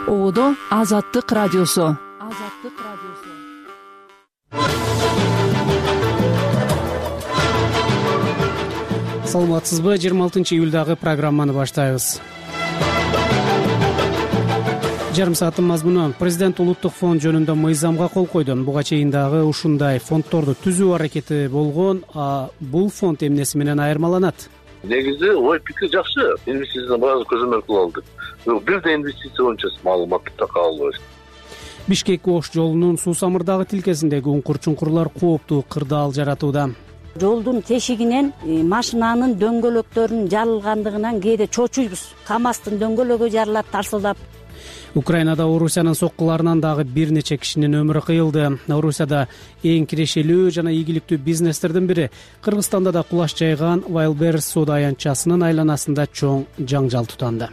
Оодо Азаттык радиосу. Саламатсызбы? 26-июлдагы программаны баштайбыз. Жарым сааттын мазмуну: Президент улуттук фонд жөнүндө мыйзамга кол койду. Буга чейин дагы ушундай фонддорду түзүү аракети болгон. Бул фонд эмнеси менен айырмаланат? Негизи ой пикир жакшы. Инвестицияны баары көзөмөл кыла алдык. Бир да инвестиция боюнча маалыматты така албайбыз. Бишкек-Ош жолунун суу самырдагы тилкесиндеги уңкур-чуңкурлар кооптуу кырдаал жаратууда. Жолдун тешигинен машинанын дөңгөлөктөрүнүн жарылгандыгынан кээде чочуйбуз. КамАЗдын дөңгөлөгү жарылат тарсылдап. Украинада Орусиянын соккуларынан дагы бир нече кишинин өмүрү кыйылды. Орусияда эң кирешелүү жана ийгиликтүү бизнестердин бири Кыргызстанда да кулаш жайган Wildberries соода аянтчасынын айланасында чоң жаңжал тутанды.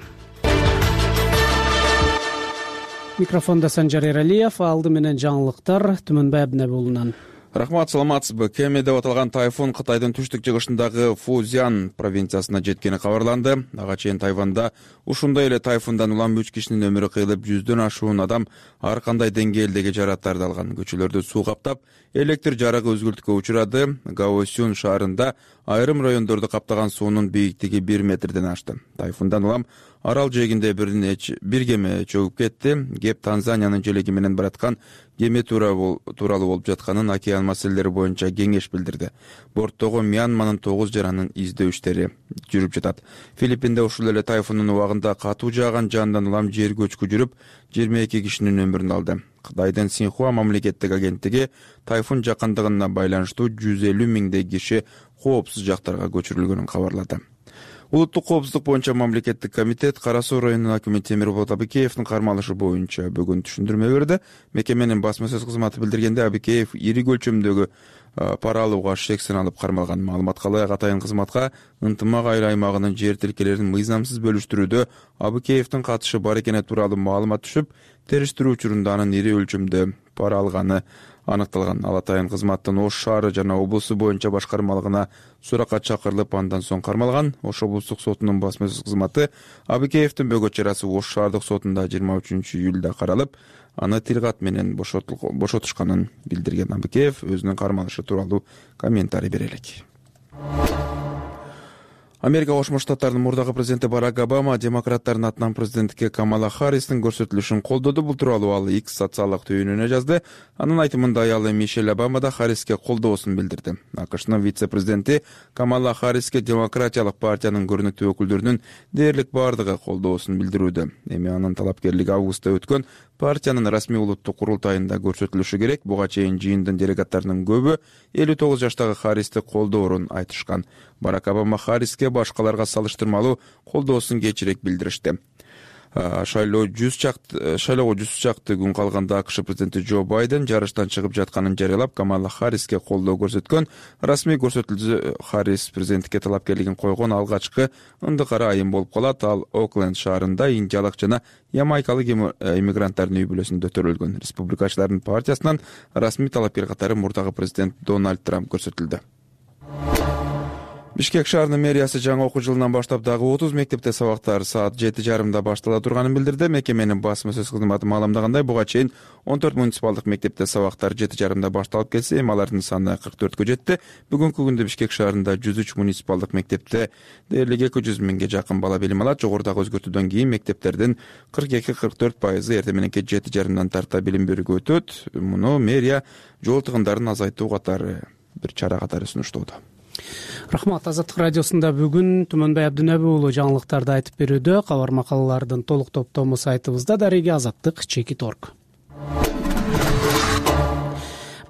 Микрофондо Санжар Эралиев, алды менен жаңылыктар Түмөнбай Абдинабулунан. Рахмат, саламатсызбы? Кеме деп аталган тайфун Кытайдын түштүк жыгышындагы Фузян провинциясына жеткени кабарланды. Ага чейин Тайванда ушундай эле тайфундан улам 3 кишинин өмүрү кыйылып, 100дөн ашуун адам ар кандай деңгээлдеги жарааттарды алган. Көчөлөрдү суу каптап, электр жарыгы үзгүлтүккө учурады. Гаосюн шаарында айрым райондорду каптаган суунун бийиктиги 1 метрден ашты. Тайфундан улам арал жээгинде бир кеме чөгүп кетти. Кеп Танзаниянын желеги менен бараткан кеме тууралуу болуп жатканын океан маселелери боюнча кеңеш билдирди. Борттогу Мьянманын 9 жаранын издөө иштери жүрүп жатат. Филиппинде ушул эле тайфундун убагында катуу жааган жандан улам жер көчкү жүрүп, 22 кишинин өмүрүн алды. Кытайдын Синьхуа мамлекеттик агенттиги тайфун жакындыгына байланыштуу 150 миңдей киши коопсуз жактарга көчүрүлгөнүн кабарлады. Улуттук коопсуздук боюнча мамлекеттик комитет Кара Суу районунун акими Темирболот Абыкеевдин кармалышы боюнча бүгүн түшүндүрмө берди. Мекеменин басма сөз кызматы билдиргенде, Абыкеев ири көлчөмдөгү пара алууга шексин алып кармалган. Маалыматка ылайык, атайын кызматка ынтымак айыл аймагынын жер тилкелерин мыйзамсыз бөлүштүрүүдө Абыкеевдин катышы бар экени тууралуу маалымат түшүп, териштирүү учурунда анын ири өлчөмдө пара алганы аныкталган. Ал атайын кызматтын Ош шаары жана облусу боюнча башкармалыгына суракка чакырылып, андан соң кармалган. Ош облустук сотунун басма сөз кызматы Абыкеевдин бөгөт чарасы Ош шаардык сотунда 23-июлда каралып, аны тил кат менен бошотушканын билдирген. Абыкеев өзүнүн кармалышы тууралуу комментарий бере элек. Америка Кошмо Штаттарынын мурдагы президенти Барак Обама демократтардын атынан президенттикке Камала Харристин көрсөтүлүшүн колдоду. Бул тууралуу ал X социалдык түйүнүнө жазды. Анын айтымында аялы Мишель Обама да Харриске колдоосун билдирди. АКШнын вице-президенти Камала Харриске демократиялык партиянын көрүнүктүү өкүлдөрүнүн дээрлик бардыгы колдоосун билдирүүдө. Эми анын талапкерлиги августта өткөн партиянын расмий улуттук курултайында көрсөтүлүшү керек. Буга чейин жыйындын делегаттарынын көбү 59 жаштагы Харристи колдоорун айтышкан. Барак Обама Харриске башкаларга салыштырмалуу колдоосун кечирээк билдиришти. Шайлоого 100 чакты күн калганда АКШ президенти Джо Байден жарыштан чыгып жатканын жарыялап, Камала Харриске колдоо көрсөткөн. Расмий көрсөтүлдү Харрис президенттикке талапкерлигин койгон алгачкы ындыкара айым болуп калат. Ал Окленд шаарында индиялык жана ямайкалык иммигранттардын үй бүлөсүндө төрөлгөн. Республикачылардын партиясынан расмий талапкер катары мурдагы президент Дональд Трамп көрсөтүлдү. Бишкек шаарынын мэриясы жаңы окуу жылынан баштап дагы 30 мектепте сабактар саат 7:30 баштала турганын билдирди. Мекеменин басма сөз кызматы маалымдагандай, буга чейин 14 муниципалдык мектепте сабактар 7:30 башталып келсе, эми алардын саны 44кө жетти. Бүгүнкү күндө Бишкек шаарында 103 муниципалдык мектепте дээрлик 200 миңге жакын бала билим алат. Жогорудагы өзгөртүүдөн кийин мектептердин 42-44% эртең мененки 7:30 тарта билим берүүгө өтөт. Муну мэрия жол тыгындарын азайтуу катары бир чара катары сунуштоодо. Рахмат. Азаттык радиосунда бүгүн Түмөнбай Абдинабы уулу жаңылыктарды айтып берүүдө. Кабар макалалардын толук топтому сайтыбызда дареги azаттык.org.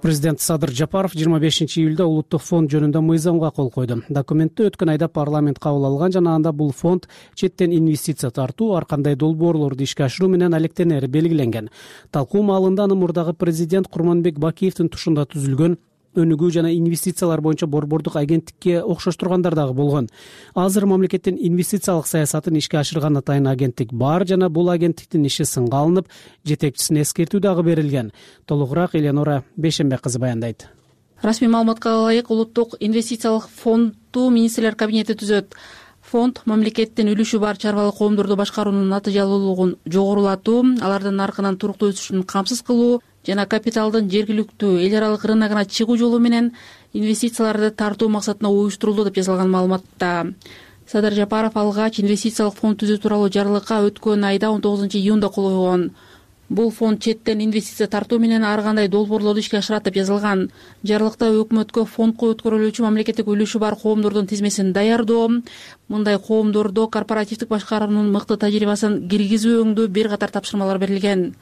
Президент Садыр Жапаров 25-июлда улуттук фонд жөнүндө мыйзамга кол койду. Документти өткөн айда парламент кабыл алган жана анда бул фонд четтен инвестиция тартуу, ар кандай долбоорлорду ишке ашыруу менен алектенери белгиленген. Талкуу маалында аны мурдагы президент Курманбек Бакиевдин тушунда түзүлгөн өнүгүү жана инвестициялар боюнча борбордук агенттикке окшоштургандар дагы болгон. Азыр мамлекеттин инвестициялык саясатын ишке ашырган атайын агенттик бар жана бул агенттиктин иши сынга алынып, жетекчисине эскертүү дагы берилген. Толугураак Эленора Бейшенбек кызы баяндайт. Расмий маалыматка ылайык, улуттук инвестициялык фонду министрлер кабинети түзөт. Фонд мамлекеттин үлүшү бар чарбалык коомдорду башкаруунун натыйжалуулугун жогорулатуу, алардын наркынын туруктуу өсүшүн камсыз кылуу жана капиталдын жергиликтүү эл аралык рыногуна чыгуу жолу менен инвестицияларды тартуу максатында уюштурулду деп жазылган маалыматта. Садыр Жапаров алгач инвестициялык фонд түзүү тууралуу жарлыкка өткөн айда 19-июнда кол койгон. Бул фонд четтен инвестиция тартуу менен ар кандай долбоорлорду ишке ашырат деп жазылган. Жарлыкта өкмөткө фондко өткөрүлүүчү мамлекеттик үлүшү бар коомдордун тизмесин даярдоо, мындай коомдордо корпоративдик башкаруунун мыкты тажрыйбасын киргизүүңдүү бир катар тапшырмалар берилген.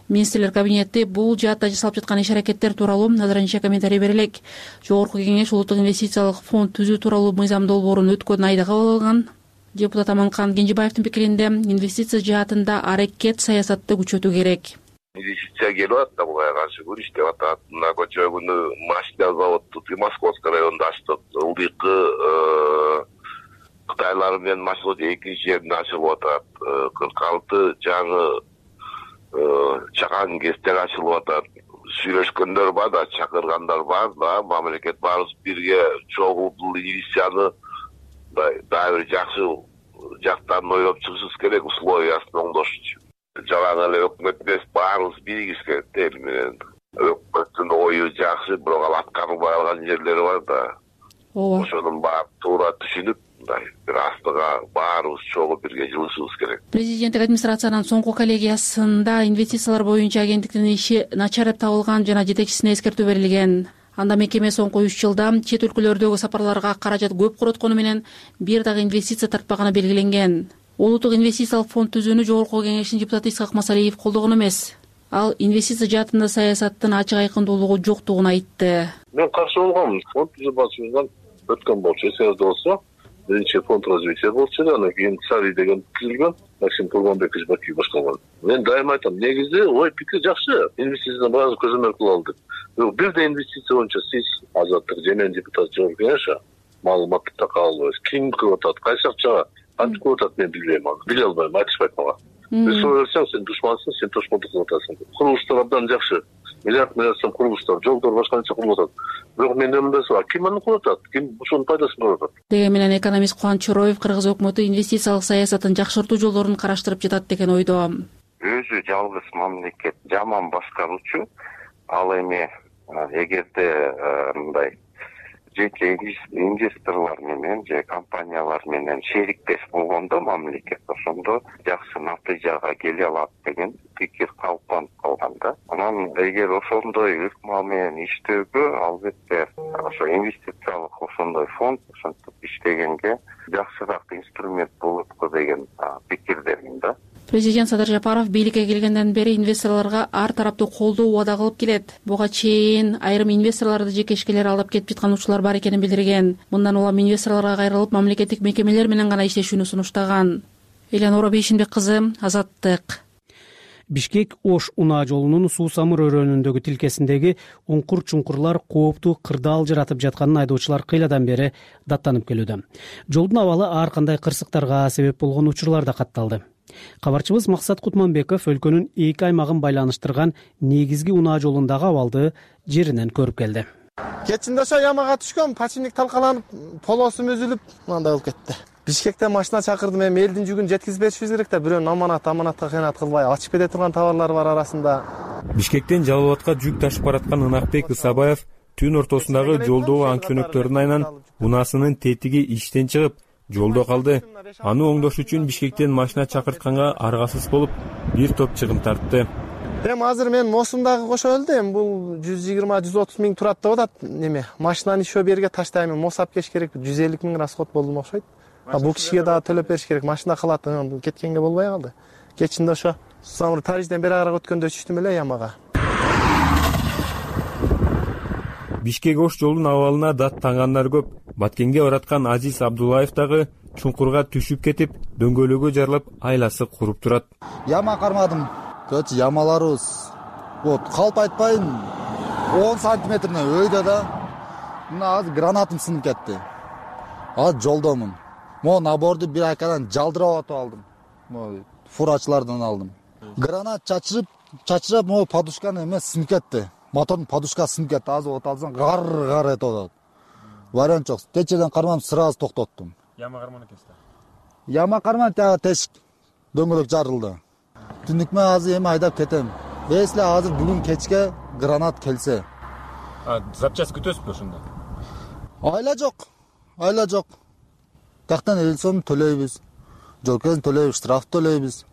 Министрлер кабинети бул жаатта жасалып жаткан иш-аракеттер тууралуу азырынча комментарий бере элек. Жогорку кеңеш улуттук инвестициялык фонд түзүү тууралуу мыйзам долбоорун өткөн айда кабыл алган. Депутат Аманкан Кенжебаевдин пикиринде инвестиция жаатында аракет саясатты күчөтүү керек. Инвестиция келип атат, буга каршы күрөш деп атат. Мына көчө күнү машина заводду Московский районунда ачтык. Ылдыйкы Кытайлар менен машина экинчи жеринде ачылып атат. 46 жаңы чакан кестер ачылып атат. Сүйлөшкөндөр бар да, чакыргандар бар да, мамлекет баарыбыз бирге чогуу бул инвестицияны дагы бир жакшы жактан ойлоп чыгышыбыз керек, условиясын оңдош үчүн. Жалаң эле өкмөт эмес, баарыбыз биригиш керек да эл менен. Өкмөттүн ою жакшы, бирок ал аткарылбай калган жерлери бар да. Ооба. Ошонун баарын туура түшүнүп, бир астыга баарыбыз чогуу бирге жылышыбыз керек. Президенттик администрациянын соңку коллегиясында инвестициялар боюнча агенттиктин иши начар деп табылган жана жетекчисине эскертүү берилген. Анда мекеме соңку 3 жылда чет өлкөлөрдөгү сапарларга каражат көп короткону менен бир дагы инвестиция тартпаганы белгиленген. Улуттук инвестициялык фонд түзүүнү жогорку кеңештин депутаты Исхак Масалиев колдогон эмес. Ал инвестиция жаатында саясаттын ачык айкындуулугу жоктугун айтты. Мен каршы болгом. Фонд түзүү башчысынан өткөн болчу, эсиңизде болсо, биринчи фонд развития болчу, анан кийин Цари деген түзүлгөн, Максим Тургонбекович Бакиев башкарган. Мен дайыма айтам, негизи ой пикир жакшы, инвестицияны баары көзөмөл кыла алдык. Бирде инвестиция боюнча сиз Азаттык Жемен депутат жогорку кеңеш маалыматты так алып, ким кылып атат, кайсы акчага кантип кылып атат, мен билбейм аны. Биле албайм, айтышпайт мага. Бир сөйлөсөң, сен душмансың, сен тошмондук кылып атасың. Курулуштар абдан жакшы. Миллиард сом курулуштар, жолдор башка нече курулуп атат. Бирок менин өмүрүмдө бар, ким аны кылып атат, ким ушунун пайдасын көрүп атат. Деген менен экономист Кубаныч Чороев кыргыз өкмөтү инвестициялык саясатын жакшыртуу жолдорун караштырып жатат деген ойдо. Өзү жалгыз мамлекет жаман башкаруучу, ал эми эгерде мындай жеке инвесторлор менен же компаниялар менен шериктеш болгондо мамлекет ошондо жакшы натыйжага келе алат деген пикир калыптанып калган да. Анан эгер ошондой ыкма менен иштөөгө албетте ошо инвестициялык ошондой фонд ошентип иштегенге жакшыраак инструмент болот го деген пикирдемин да. Президент Садыр Жапаров бийликке келгенден бери инвесторлорго ар тараптуу колдоо убада кылып келет. Буга чейин айрым инвесторлорду жекешкелер алдап кетип жаткан учурлар бар экенин билдирген. Мындан улам инвесторлорго кайрылып, мамлекеттик мекемелер менен гана иштешүүнү сунуштаган. Элянора Бейшимбек-кызы, Азаттык. Бишкек Ош унаа жолунун Суу-Самыр өрөөнүндөгү тилкесиндеги уңкур-чуңкурлар кооптуу кырдаал жаратып жатканын айдоочулар кыйладан бери даттанып келүүдө. Жолдун абалы ар кандай кырсыктарга себеп болгон учурлар да катталды. Кабарчыбыз Максат Кутманбеков өлкөнүн эки аймагын байланыштырган негизги унаа жолундагы абалды жеринен көрүп келди. Кечинде ошо ямага түшкөн, починник талкаланып, полосу үзүлүп, мындай болуп кетти. Бишкектен машина чакырдым, эми элдин жүгүн жеткизип беришибиз керек да, бирөөнүн аманатка кыянат кылбай, ачып кете турган товарлар бар арасында. Бишкектен Жалал Абадка жүк ташып бараткан Ынакбек Ысабаев түн ортосундагы жолдогу аң-чөнөктөрдүн айынан унаасынын тетиги иштен чыгып, жолдо калды. Аны оңдош үчүн Бишкектен машина чакыртканга аргасыз болуп, бир топ чыгым тартты. Эми азыр мен Мосумдагы кошо элди, эми бул 120-130 миң турат деп атат. Неме, машинаны ишөө берге таштайм, Мосап кеш керек, 150 миң расход болду окшойт. Бул кишиге дагы төлөп бериш керек, машина кылат, кеткенге болбой калды. Кечинде ошо Самыр Тарижден бери ара өткөндө түштүм эле ямага. Бишкек Ош жолдун абалына дат таңгандар көп. Баткенге бараткан Азиз Абдуллаев дагы чуңкурга түшүп кетип, дөңгөлөгө жарылып, айласы куруп турат. Яма кармадым. Көч ямаларыбыз. Вот, калп айтпайын 10 сантиметрне өйдө да. Мына азыр гранатым сынып кетти. Азыр жолдомун. Мо наборду бир айкадан жалдырап атып алдым. Мо фурачылардан алдым. Гранат чачырып, мо подушканы эмес сынып кетти. Мотордун подушкасы сынып кетти. Азыр от алсаң гар этип атат. Вариант жок. Течеден кармам сразу токтоттум. Яма карман экенсиз. Яма карман тагы тешик дөңгөлөк жарылды. Түнүк менен азыр эми айдап кетем. Если азыр бүгүн кечке гранат келсе. Запчасть күтөсүзбү ошондо? Айла жок. Тактан эл сомун төлөйбүз. Жол кезин төлөйбүз, штраф төлөйбүз.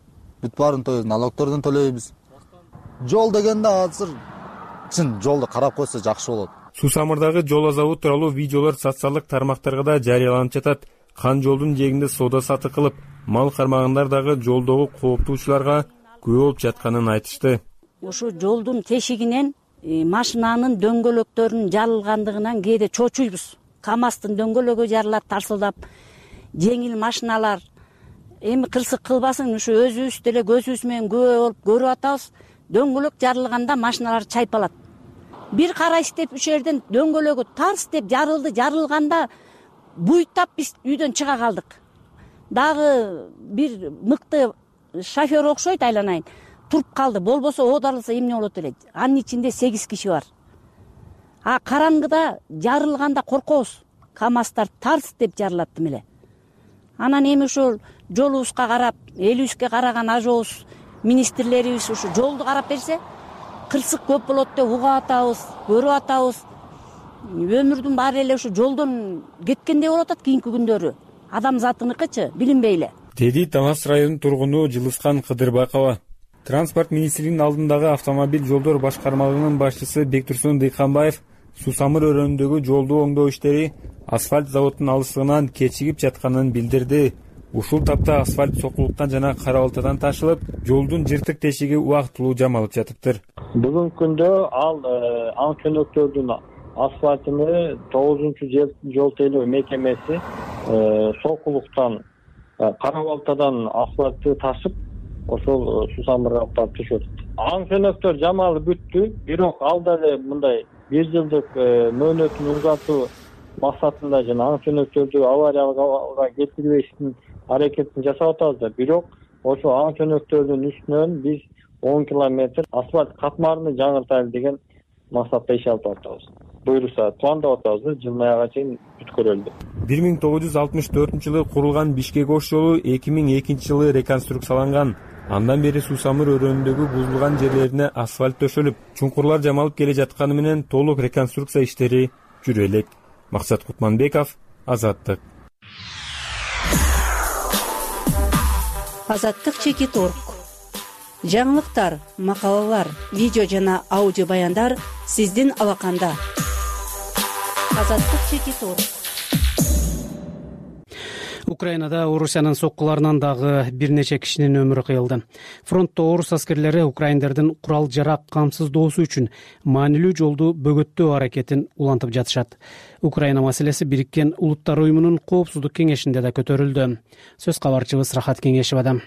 Бүт баарын төлөйбүз, налогтордон төлөйбүз. Жол дегенде азыр чын жолду карап койсо жакшы болот. Сусамырдагы жол азабы тууралуу видеолор социалдык тармактарга да жарыяланып жатат. Кан жолдун жээгинде соода сатык кылып, мал кармагандар дагы жолдогу кооптуучуларга күбө болуп жатканын айтышты. Ушу жолдун тешигинен машинанын дөңгөлөктөрүнүн жарылгандыгынан кээде чочуйбуз. КамАЗдын дөңгөлөгү жарылат тарсылдап, жеңил машиналар эми кырсык кылбасын, ушу өзүбүз деле көзүбүз менен күбө болуп көрүп атабыз. Дөңгөлөк жарылганда машиналар чайпалат. Бир карайсыз деп үч жерден дөңгөлөгү тарс деп жарылганда буйтап биз үйдөн чыга калдык. Дагы бир мыкты шофер окшойт, айланайын, туруп калды. Болбосо оодарылса эмне болот эле? Анын ичинде 8 киши бар. Караңгыда жарылганда коркобуз. КамАЗдар тарс деп жарылат эле. Анан эми ушул жолубузга карап, элибизге караган ажообуз, министрлерибиз ушу жолду карап берсе, кырсык көп болот деп угап атабыз, көрүп атабыз. Өмүрдүн баары эле ушу жолдон кеткендей болуп атат кийинки күндөрү. Адамзатыныкычы билинбей эле. Деди Талас районунун тургуну Жылыскан Кыдырбакова. Транспорт министринин алдындагы автомобиль жолдор башкармалыгынын башчысы Бектурсун Дыйканбаев Сусамыр өрөөнүндөгү жолду оңдоо иштери асфальт заводунун алыстыгынан кечигип жатканын билдирди. Ушул тапта асфальт сокулуктан жана кара балтадан ташылып, жолдун жыртык тешиги убактылуу жамалып жатыптыр. Бүгүнкү күндө ал анчөнөктөрдүн асфальтыны 9-жол тейлөө мекемеси сокулуктан кара балтадан асфальтты ташып, ошол Сусамырга алып түшөт. Анчөнөктөр жамалып бүттү, бирок ал деле мындай 1 жылдык мөөнөтүн узатуу максатында жана анчөнөктөрдү аварияга келтирбештин аракетин жасап атабыз. Бирок ошо анчөнөктөрдүн үстүнөн биз 10 километр асфальт катмарыны жаңыртайлы деген максатта иш алып атабыз. Буюрса пландап атабыз, жыл аяга чейин бүткөрүлдү. 1964-жылы курулган Бишкек ош жолу 2002-жылы реконструкцияланган. Андан бери Сусамыр өрөөнүндөгү бузулган жерлерине асфальт төшөлүп, чуңкурлар жамалып келе жатканы менен толук реконструкция иштери жүрө элек. Максат Кутманбеков, Азаттык. Азаттык Чекит.org. Жаңылыктар, макалалар, видео жана аудио баяндар сиздин алаканда. Азаттык Чекит.org. Украинада Орусиянын соккуларынан дагы бир нече кишинин өмүрү кыйылды. Фронтто орус аскерлери украиндердин курал жарак камсыздоосу үчүн маанилүү жолду бөгөттөө аракетин улантып жатышат. Украина маселеси Бириккен Улуттар уюмунун Коопсуздук кеңешинде да көтөрүлдү. Сөз кабарчыбыз Рахат Кеңешева.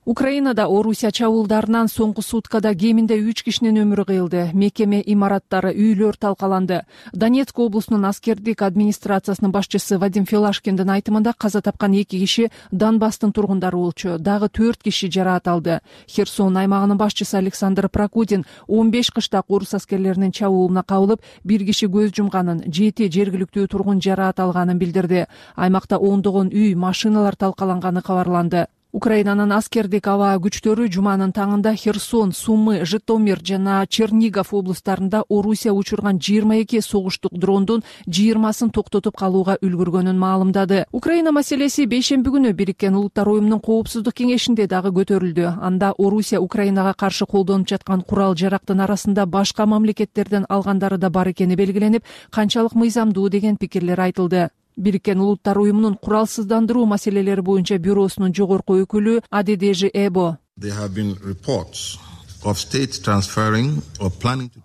Украинада Орусия чабуулдарынан соңку суткада кеминде 3 кишинин өмүрү кыйылды. Мекеме имараттары, үйлөр талкаланды. Донецк облусунун аскердик администрациясынын башчысы Вадим Филашкиндин айтымында каза тапкан 2 киши Донбасстын тургундары болчу. Дагы 4 киши жараат алды. Херсон аймагынын башчысы Александр Прокудин 15 кыштак орус аскерлеринин чабуулуна кабылып, 1 киши көз жумганын, 7 жергиликтүү тургун жараат алганын билдирди. Аймакта ондогон үй, машиналар талкаланганы кабарланды. Украинанын аскердик аба күчтөрү жуманын таңында Херсон, Сумы, Житомир жана Чернигов облустарында Орусия учурган 22 согуштук дрондун 20-сын токтотуп калууга үлгүргөнүн маалымдады. Украина маселеси бейшемби күнү Бириккен Улуттар уюмунун Коопсуздук кеңешинде дагы көтөрүлдү. Анда Орусия Украинага каршы колдонуп жаткан курал жарактын арасында башка мамлекеттерден алгандары да бар экени белгиленип, канчалык мыйзамдуу деген пикирлер айтылды. Бириккен Улуттар уюмунун куралсыздандыруу маселелери боюнча бюросунун жогорку өкүлү Адедежи Эбо.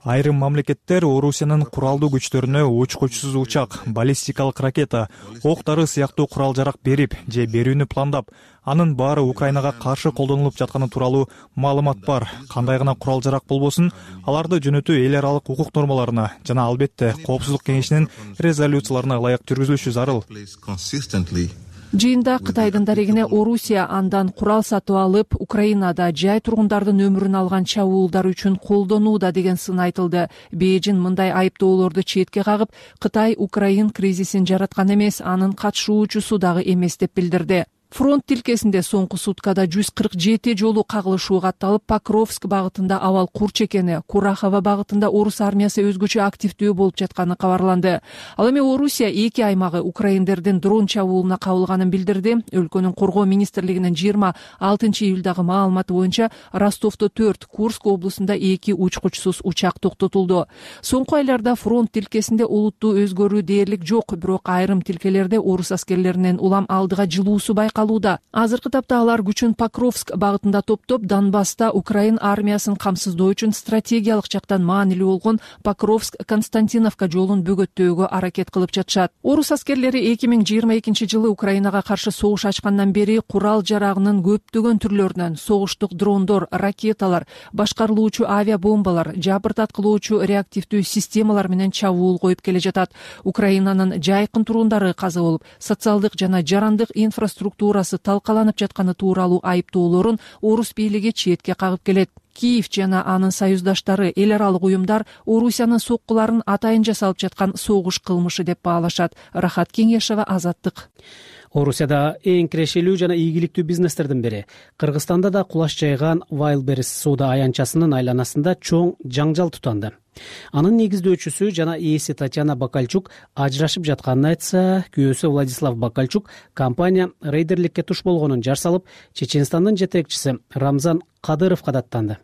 Айрым мамлекеттер Орусиянын куралдуу күчтөрүнө учкучсуз учак, баллистикалык ракета, ок-дары сыяктуу курал-жарак берип же берүүнү пландап, анын баары Украинага каршы колдонулуп жатканы тууралуу маалымат бар. Кандай гана курал-жарак болбосун, аларды жөнөтүү эл аралык укук нормаларына жана албетте Коопсуздук кеңешинин резолюцияларына ылайык жүргүзүлүшү зарыл. Жыйында Кытайдын дарегине Орусия андан курал сатып алып, Украинада жай тургундардын өмүрүн алган чабуулдар үчүн колдонууда деген сын айтылды. Бейжин мындай айыптоолорду четке кагып, Кытай Украин кризисин жараткан эмес, анын катышуучусу дагы эмес деп билдирди. Фронт тилкесинде соңку суткада 147 жолу кагылышуу катталып, Покровск багытында абал курч экени, Курахова багытында орус армиясы өзгөчө активдүү болуп жатканы кабарланды. Ал эми Орусия 2 аймагы украиндердин дрон чабуулуна кабылганын билдирди. Өлкөнүн коргоо министрлигинин 26-июлдагы маалыматы боюнча Ростовдо 4, Курск облусунда 2 учкучсуз учак токтотулду. Соңку айларда фронт тилкесинде олуттуу өзгөрүү дээрлик жок, бирок айрым тилкелерде орус аскерлеринин улам алдыга жылуусу байкалууда. Азыркы тапта алар күчүн Покровск багытында топтоп, Донбасста Украин армиясын камсыздоо үчүн стратегиялык жактан маанилүү болгон Покровск-Константиновка жолун бөгөттөөгө аракет кылып жатышат. Орус аскерлери 2022 Украинага каршы согуш ачкандан бери курал жарагынын көптөгөн түрлөрүнөн согуштук дрондор, ракеталар, башкарылуучу авиабомбалар, жабыртаткылоочу реактивдүү системалар менен чабуул коюп келе жатат. Украинанын жайкын турундары каза болуп, социалдык жана жарандык инфраструктурасы талкаланып жатканы тууралуу айыптоолорун орус бийлиги четке кагып келет. Киев жана анын союздаштары, эл аралык уюмдар Орусиянын соккуларын атайын жасалып жаткан согуш кылмышы деп баалашат. Рахат Кеңешева, Азаттык. Орусияда эң кирешелүү жана ийгиликтүү бизнестердин бири. Кыргызстанда да кулаш жайган Wildberries соода аянтчасынын айланасында чоң жаңжал тутанды. Анын негиздөөчүсү жана ээси Татьяна Бакальчук ажырашып жатканын айтса, күйөөсү Владислав Бакальчук компания рейдерликке туш болгонун жар салып, Чеченстандын жетекчиси Рамзан Кадыровго даттанды.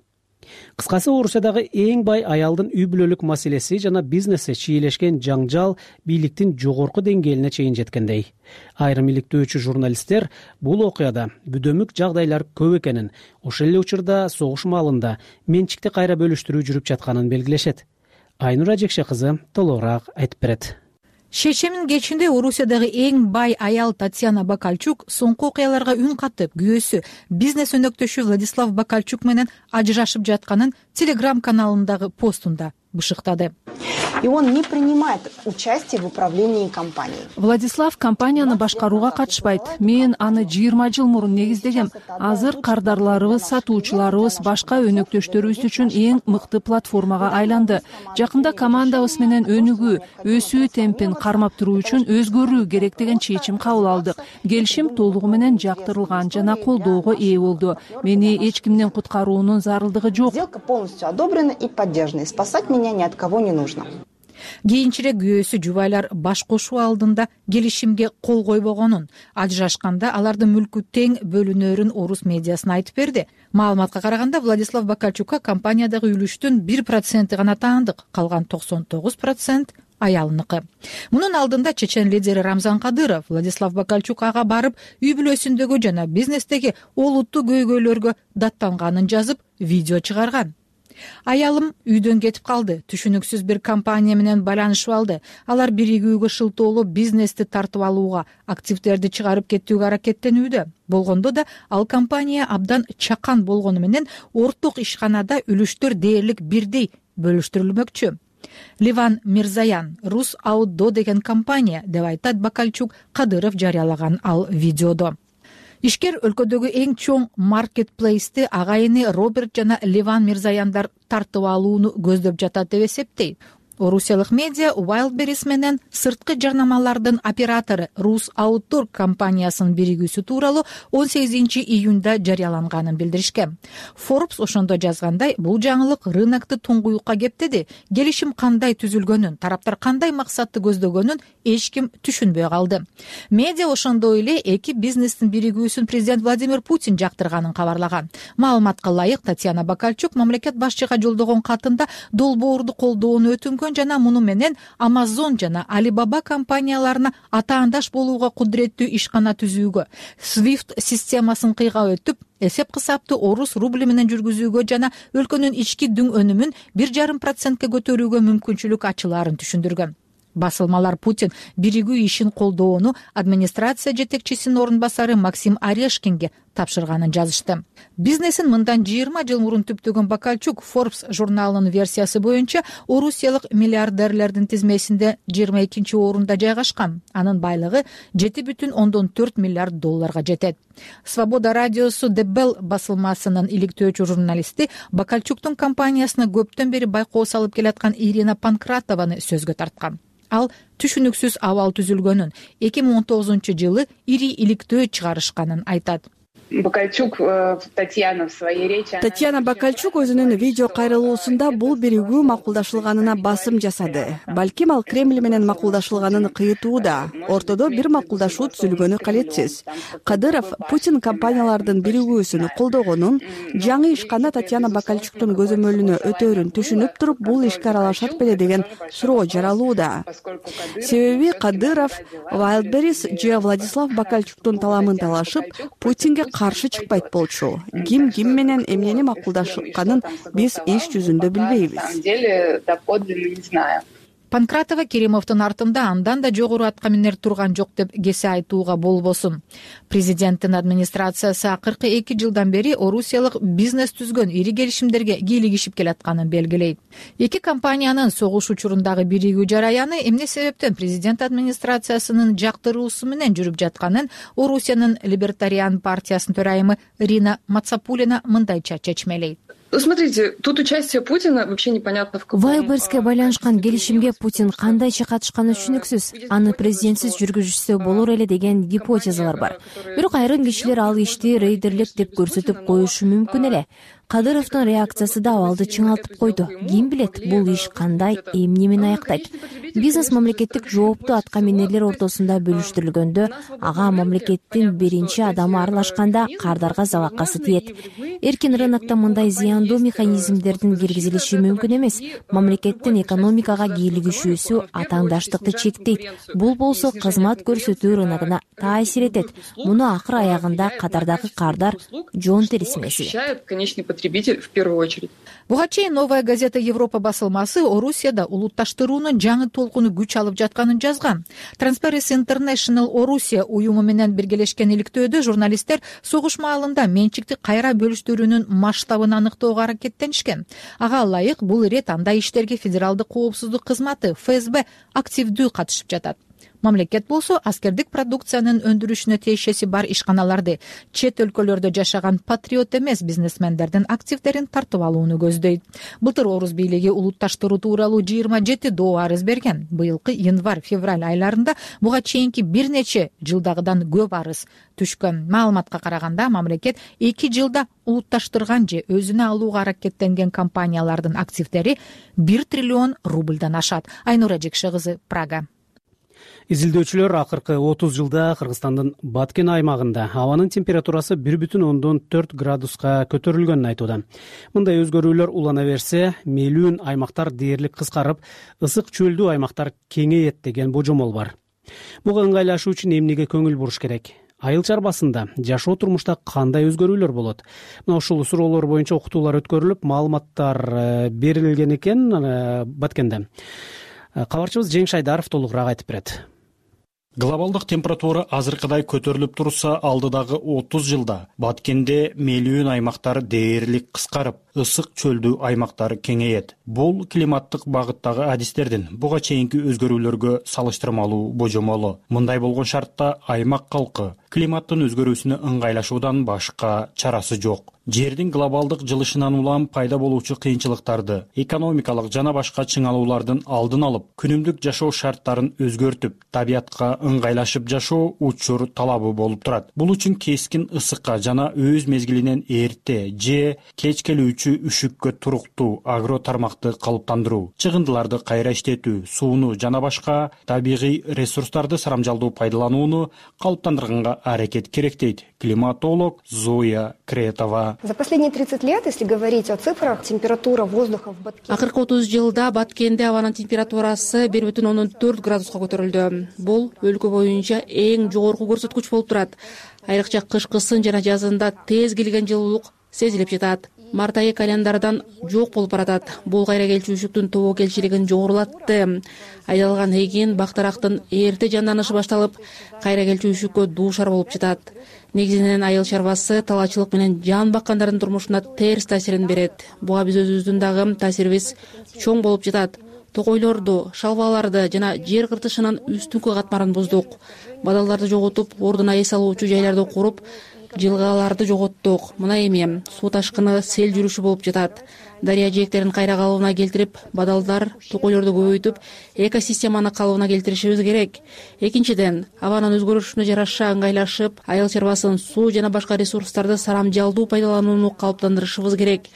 Кыскасы, Орусиядагы эң бай аялдын үй бүлөлүк маселеси жана бизнеси чийлешкен жаңжал бийликтин жогорку деңгээлине чейин жеткендей. Айрым иликтөөчү журналисттер бул окуяда бүдөмүк жагдайлар көп экенин, ошол эле учурда согуш маалында менчикти кайра бөлүштүрүү жүрүп жатканын белгилешет. Айнура Жекше кызы толугураак айтып берет. Шейшемдин кечинде Орусиядагы эң бай аял Татьяна Бакальчук соңку окуяларга үн катып, күйөөсү бизнес өнөктөшү Владислав Бакальчук менен ажырашып жатканын Телеграм-каналындагы постунда бышыктады. И он не принимает участие в управлении компанией. Владислав компанияны башкарууга катышпайт. Мен аны 20 жыл мурун негиздегем. Азыр кардарларыбыз, сатуучуларыбыз башка өнөктөштөрүбүз үчүн эң мыкты платформага айланды. Жакында командабыз менен өнүгүү, өсүү темпин кармап туруу үчүн өзгөрүү керек деген чечим кабыл алдык. Келишим толугу менен жактырылган жана колдоого ээ болду. Мени эч кимдин куткаруунун зарылдыгы жок. Сделка полностью одобрена и поддержана. Спасать меня ни от кого не нужно. Кийинчерээк күйөөсү жубайлар баш кошуу алдында келишимге кол койбогонун, ажырашканда алардын мүлкү тең бөлүнөрүн орус медиасына айтып берди. Маалыматка караганда, Владислав Бакальчукка компаниядагы үлүштүн 1% гана таандык, калган 99% аялыныкы. Мунун алдында чечен лидери Рамзан Кадыров Владислав Бакальчук ага барып, үй бүлөсүндөгү жана бизнестеги олуттуу көйгөйлөргө даттанганын жазып, видео чыгарган. Аялым үйдөн кетип калды. Түшүнүксүз бир компания менен байланышып алды. Алар биригүүгө шылтоолоо бизнести тартып алууга, активдерди чыгарып кетүүгө аракеттенүүдө. Болгондо да ал компания абдан чакан болгону менен орток ишканада үлүштөр дээрлик бирдей бөлүштүрүлмөкчү. Ливан Мирзаян, Рус Аудо деген компания деп айтат Бакальчук Кадыров жарыялаган ал видеодо. Ишкер өлкөдөгү эң чоң маркетплейсти агайыны Роберт жана Ливан Мирзаяндар тартып алууну көздөп жатат деп эсептейт. Орусиялык медиа Wildberries менен сырткы жарнамалардын оператору Рус Аудо компаниясынын биригүүсү тууралуу 18-июнда жарыяланганын билдиришкен. Forbes ошондо жазгандай, бул жаңылык рынокты туңгуюкка кептеди. Келишим кандай түзүлгөнүн, тараптар кандай максатты көздөгөнүн эч ким түшүнбөй калды. Медиа ошондой эле эки бизнестин биригүүсүн президент Владимир Путин жактырганын кабарлаган. Маалыматка ылайык, Татьяна Бакальчук мамлекет башчыга жолдогон катында долбоорду колдоону өтүнгөн жана муну менен Amazon жана Alibaba компанияларына атаандаш болууга кудуреттүү ишкана түзүүгө, Swift системасын кыйгап өтүп, эсеп кысапты орус рубли менен жүргүзүүгө жана өлкөнүн ички дүң өнүмүн 1,5% көтөрүүгө мүмкүнчүлүк ачылаарын түшүндүргөн. Басылмалар Путин биригүү ишин колдоону администрация жетекчисинин орун басары Максим Орешкинге тапшырганын жазышты. Бизнесин мындан 20 жыл мурун түптөгөн Бакальчук Forbes журналынын версиясы боюнча орусиялык миллиардерлердин тизмесинде 22 орунда жайгашкан. Анын байлыгы 7,4 миллиард долларга жетет. Свобода радиосу The Bell басылмасынын иликтөөчү журналисти Бакальчуктун компаниясына көптөн бери байкоо салып келаткан Ирина Панкратованы сөзгө тарткан. ал түшүнүксүз абал түзүлгөнүн, 2019-жылы ири иликтөө чыгарышканын айтат. Татьяна Бакальчук өзүнүн видео кайрылуусунда бул биригүү макулдашылганына басым жасады. Балким ал Кремль менен макулдашылганын кыйтууда. Ортодо бир макулдашуу түзүлгөнү калетсиз. Кадыров Путин компаниялардын биригүүсүн колдогонун, жаңы ишканда Татьяна Бакальчуктун көзөмөлүнө өтөөрүн түшүнүп туруп, бул ишке аралашат беле деген суроо жаралууда. Себеби Кадыров Wildberries же Владислав Бакальчуктун таламын талашып, Путинге каршы чыкпайт болчу. Ким менен эмнени макулдашканын биз иш жүзүндө билбейбиз. Панкратова Керимовдун артында андан да жогору атка минер турган жок деп кесе айтууга болбосун. Президенттин администрациясы акыркы 2 жылдан бери Орусиялык бизнес түзгөн ири келишимдерге кийлигишип келатканын белгилейт. Эки компаниянын согуш учурундагы биригүү жараяны эмне себептен президент администрациясынын жактыруусу менен жүрүп жатканын Орусиянын Либертариан партиясынын төрайымы Рина Мацапулина мындайча чечмелейт. Смотрите, тут участие Путина вообще непонятно в каком. Вайлберске байланышкан келишимге Путин кандайча катышканы түшүнүксүз. Аны президентсиз жүргүзүшсө болор эле деген гипотезалар бар. Бирок айрым кишилер ал ишти рейдерлик деп көрсөтүп коюшу мүмкүн эле. Кадыровдун реакциясы да абалды чыңалтып койду. Ким билет, бул иш кандай, эмне менен аяктайт. Бизнес мамлекеттик жооптуу атка минерлер ортосунда бөлүштүрүлгөндө, ага мамлекеттин биринчи адамы аралашканда кардарга залакасы тиет. Эркин рынокто мындай зыяндуу механизмдердин киргизилиши мүмкүн эмес. Мамлекеттин экономикага кийлигишүүсү атаандаштыкты чектейт. Бул болсо кызмат көрсөтүү рыногуна таасир этет. Муну акыр аягында катардагы кардар жон териси меселе. В первую очередь. Буга чейин Новая газета Европа басылмасы Орусияда улутташтыруунун жаңы толкуну күч алып жатканын жазган. Transparency International Орусия уюму менен биргелешкен иликтөөдө журналисттер согуш маалында менчикти кайра бөлүштүрүүнүн масштабын аныктоого аракеттенишкен. Ага ылайык бул ирет андай иштерге федералдык коопсуздук кызматы ФСБ активдүү катышып жатат. Мамлекет болсо аскердик продукциянын өндүрүшүнө тиешеси бар ишканаларды, чет өлкөлөрдө жашаган патриот эмес бизнесмендердин активдерин тартып алууну көздөйт. Былтыр Орус бийлиги улутташтыруу тууралуу 27 доо арыз берген. Быйылкы январь-февраль айларында буга чейинки бир нече жылдагыдан көп арыз түшкөн. Маалыматка караганда мамлекет 2 жылда улутташтырган же өзүнө алууга аракеттенген компаниялардын активдери 1 триллион рубльдан ашат. Айнура Жекше кызы, Прага. Изилдөөчүлөр акыркы 30 жылда Кыргызстандын Баткен аймагында абанын температурасы 1,4 градуска көтөрүлгөнүн айтууда. Мындай өзгөрүүлөр улана берсе, мейлүүн аймактар дээрлик кыскарып, ысык чөлдүү аймактар кеңейет деген божомол бар. Буга ыңгайлашуу үчүн эмнеге көңүл буруш керек? Айыл чарбасында жашоо турмушта кандай өзгөрүүлөр болот? Мына ушул суроолор боюнча окутуулар өткөрүлүп, маалыматтар берилген экен Баткенде. Кабарчыбыз Жеңиш Айдаров толугураак айтып берет. Глобалдык температура азыркыдай көтөрүлүп турса, алдыдагы 30 жылда Баткенде мейлүүн аймактар дээрлик кыскарып, ысык чөлдүү аймактар кеңейет. Бул климаттык багыттагы адистердин буга чейинки өзгөрүүлөргө салыштырмалуу божомолу. Мындай болгон шартта аймак калкы климаттын өзгөрүүсүнө ыңгайлашуудан башка чарасы жок. Жердин глобалдык жылышынан улам пайда болуучу кыйынчылыктарды, экономикалык жана башка чыңалуулардын алдын алып, күнүмдүк жашоо шарттарын өзгөртүп, табиятка ыңгайлашып жашоо учур талабы болуп турат. Бул үчүн кескин ысыкка жана өз мезгилинен эрте же кеч келүүчү үшүккө туруктуу агро тармакты калыптандыруу, чыгындыларды кайра иштетүү, сууну жана башка табигый ресурстарды сарамжалдуу пайдаланууну калыптандырганга аракет керек дейт климатолог Зоя Кретова. За последние 30 лет, если говорить о цифрах, температура воздуха в Баткене... Акыркы 30 жылда Баткенде абанын температурасы 1,4 градуска көтөрүлдү. Бул өлкө боюнча эң жогорку көрсөткүч болуп турат. Айрыкча кышкысын жана жазында тез келген жылуулук сезилип жатат. Март айы календардан жок болуп баратат. Бул кайра келчүчүлүктүн тобокелчилигин жогорулатты. Айдалган эгин, бактарактын эрте жанданышы башталып, кайра келчүчүлүккө дуушар болуп жатат. Негизинен айыл чарбасы талаачылык менен жан баккандардын турмушуна терс таасирин берет. Буга биз өзүбүздүн дагы таасирибиз чоң болуп жатат. Токойлорду, шалбаларды жана жер кыртышынын үстүнкү катмарын буздук. Бадалдарды жоготуп, ордуна эс алуучу жайларды куруп, жылгааларды жоготтук. Мына эми суу ташкыны, сел жүрүшү болуп жатат. Дарыя жээктерин кайра калыбына келтирип, бадалдар, токойлорду көбөйтүп, экосистеманы калыбына келтиришибиз керек. Экинчиден, абанын өзгөрүшүнө жараша ыңгайлашып, айыл чарбасын, суу жана башка ресурстарды сарамжалдуу пайдаланууну калыптандырышыбыз керек.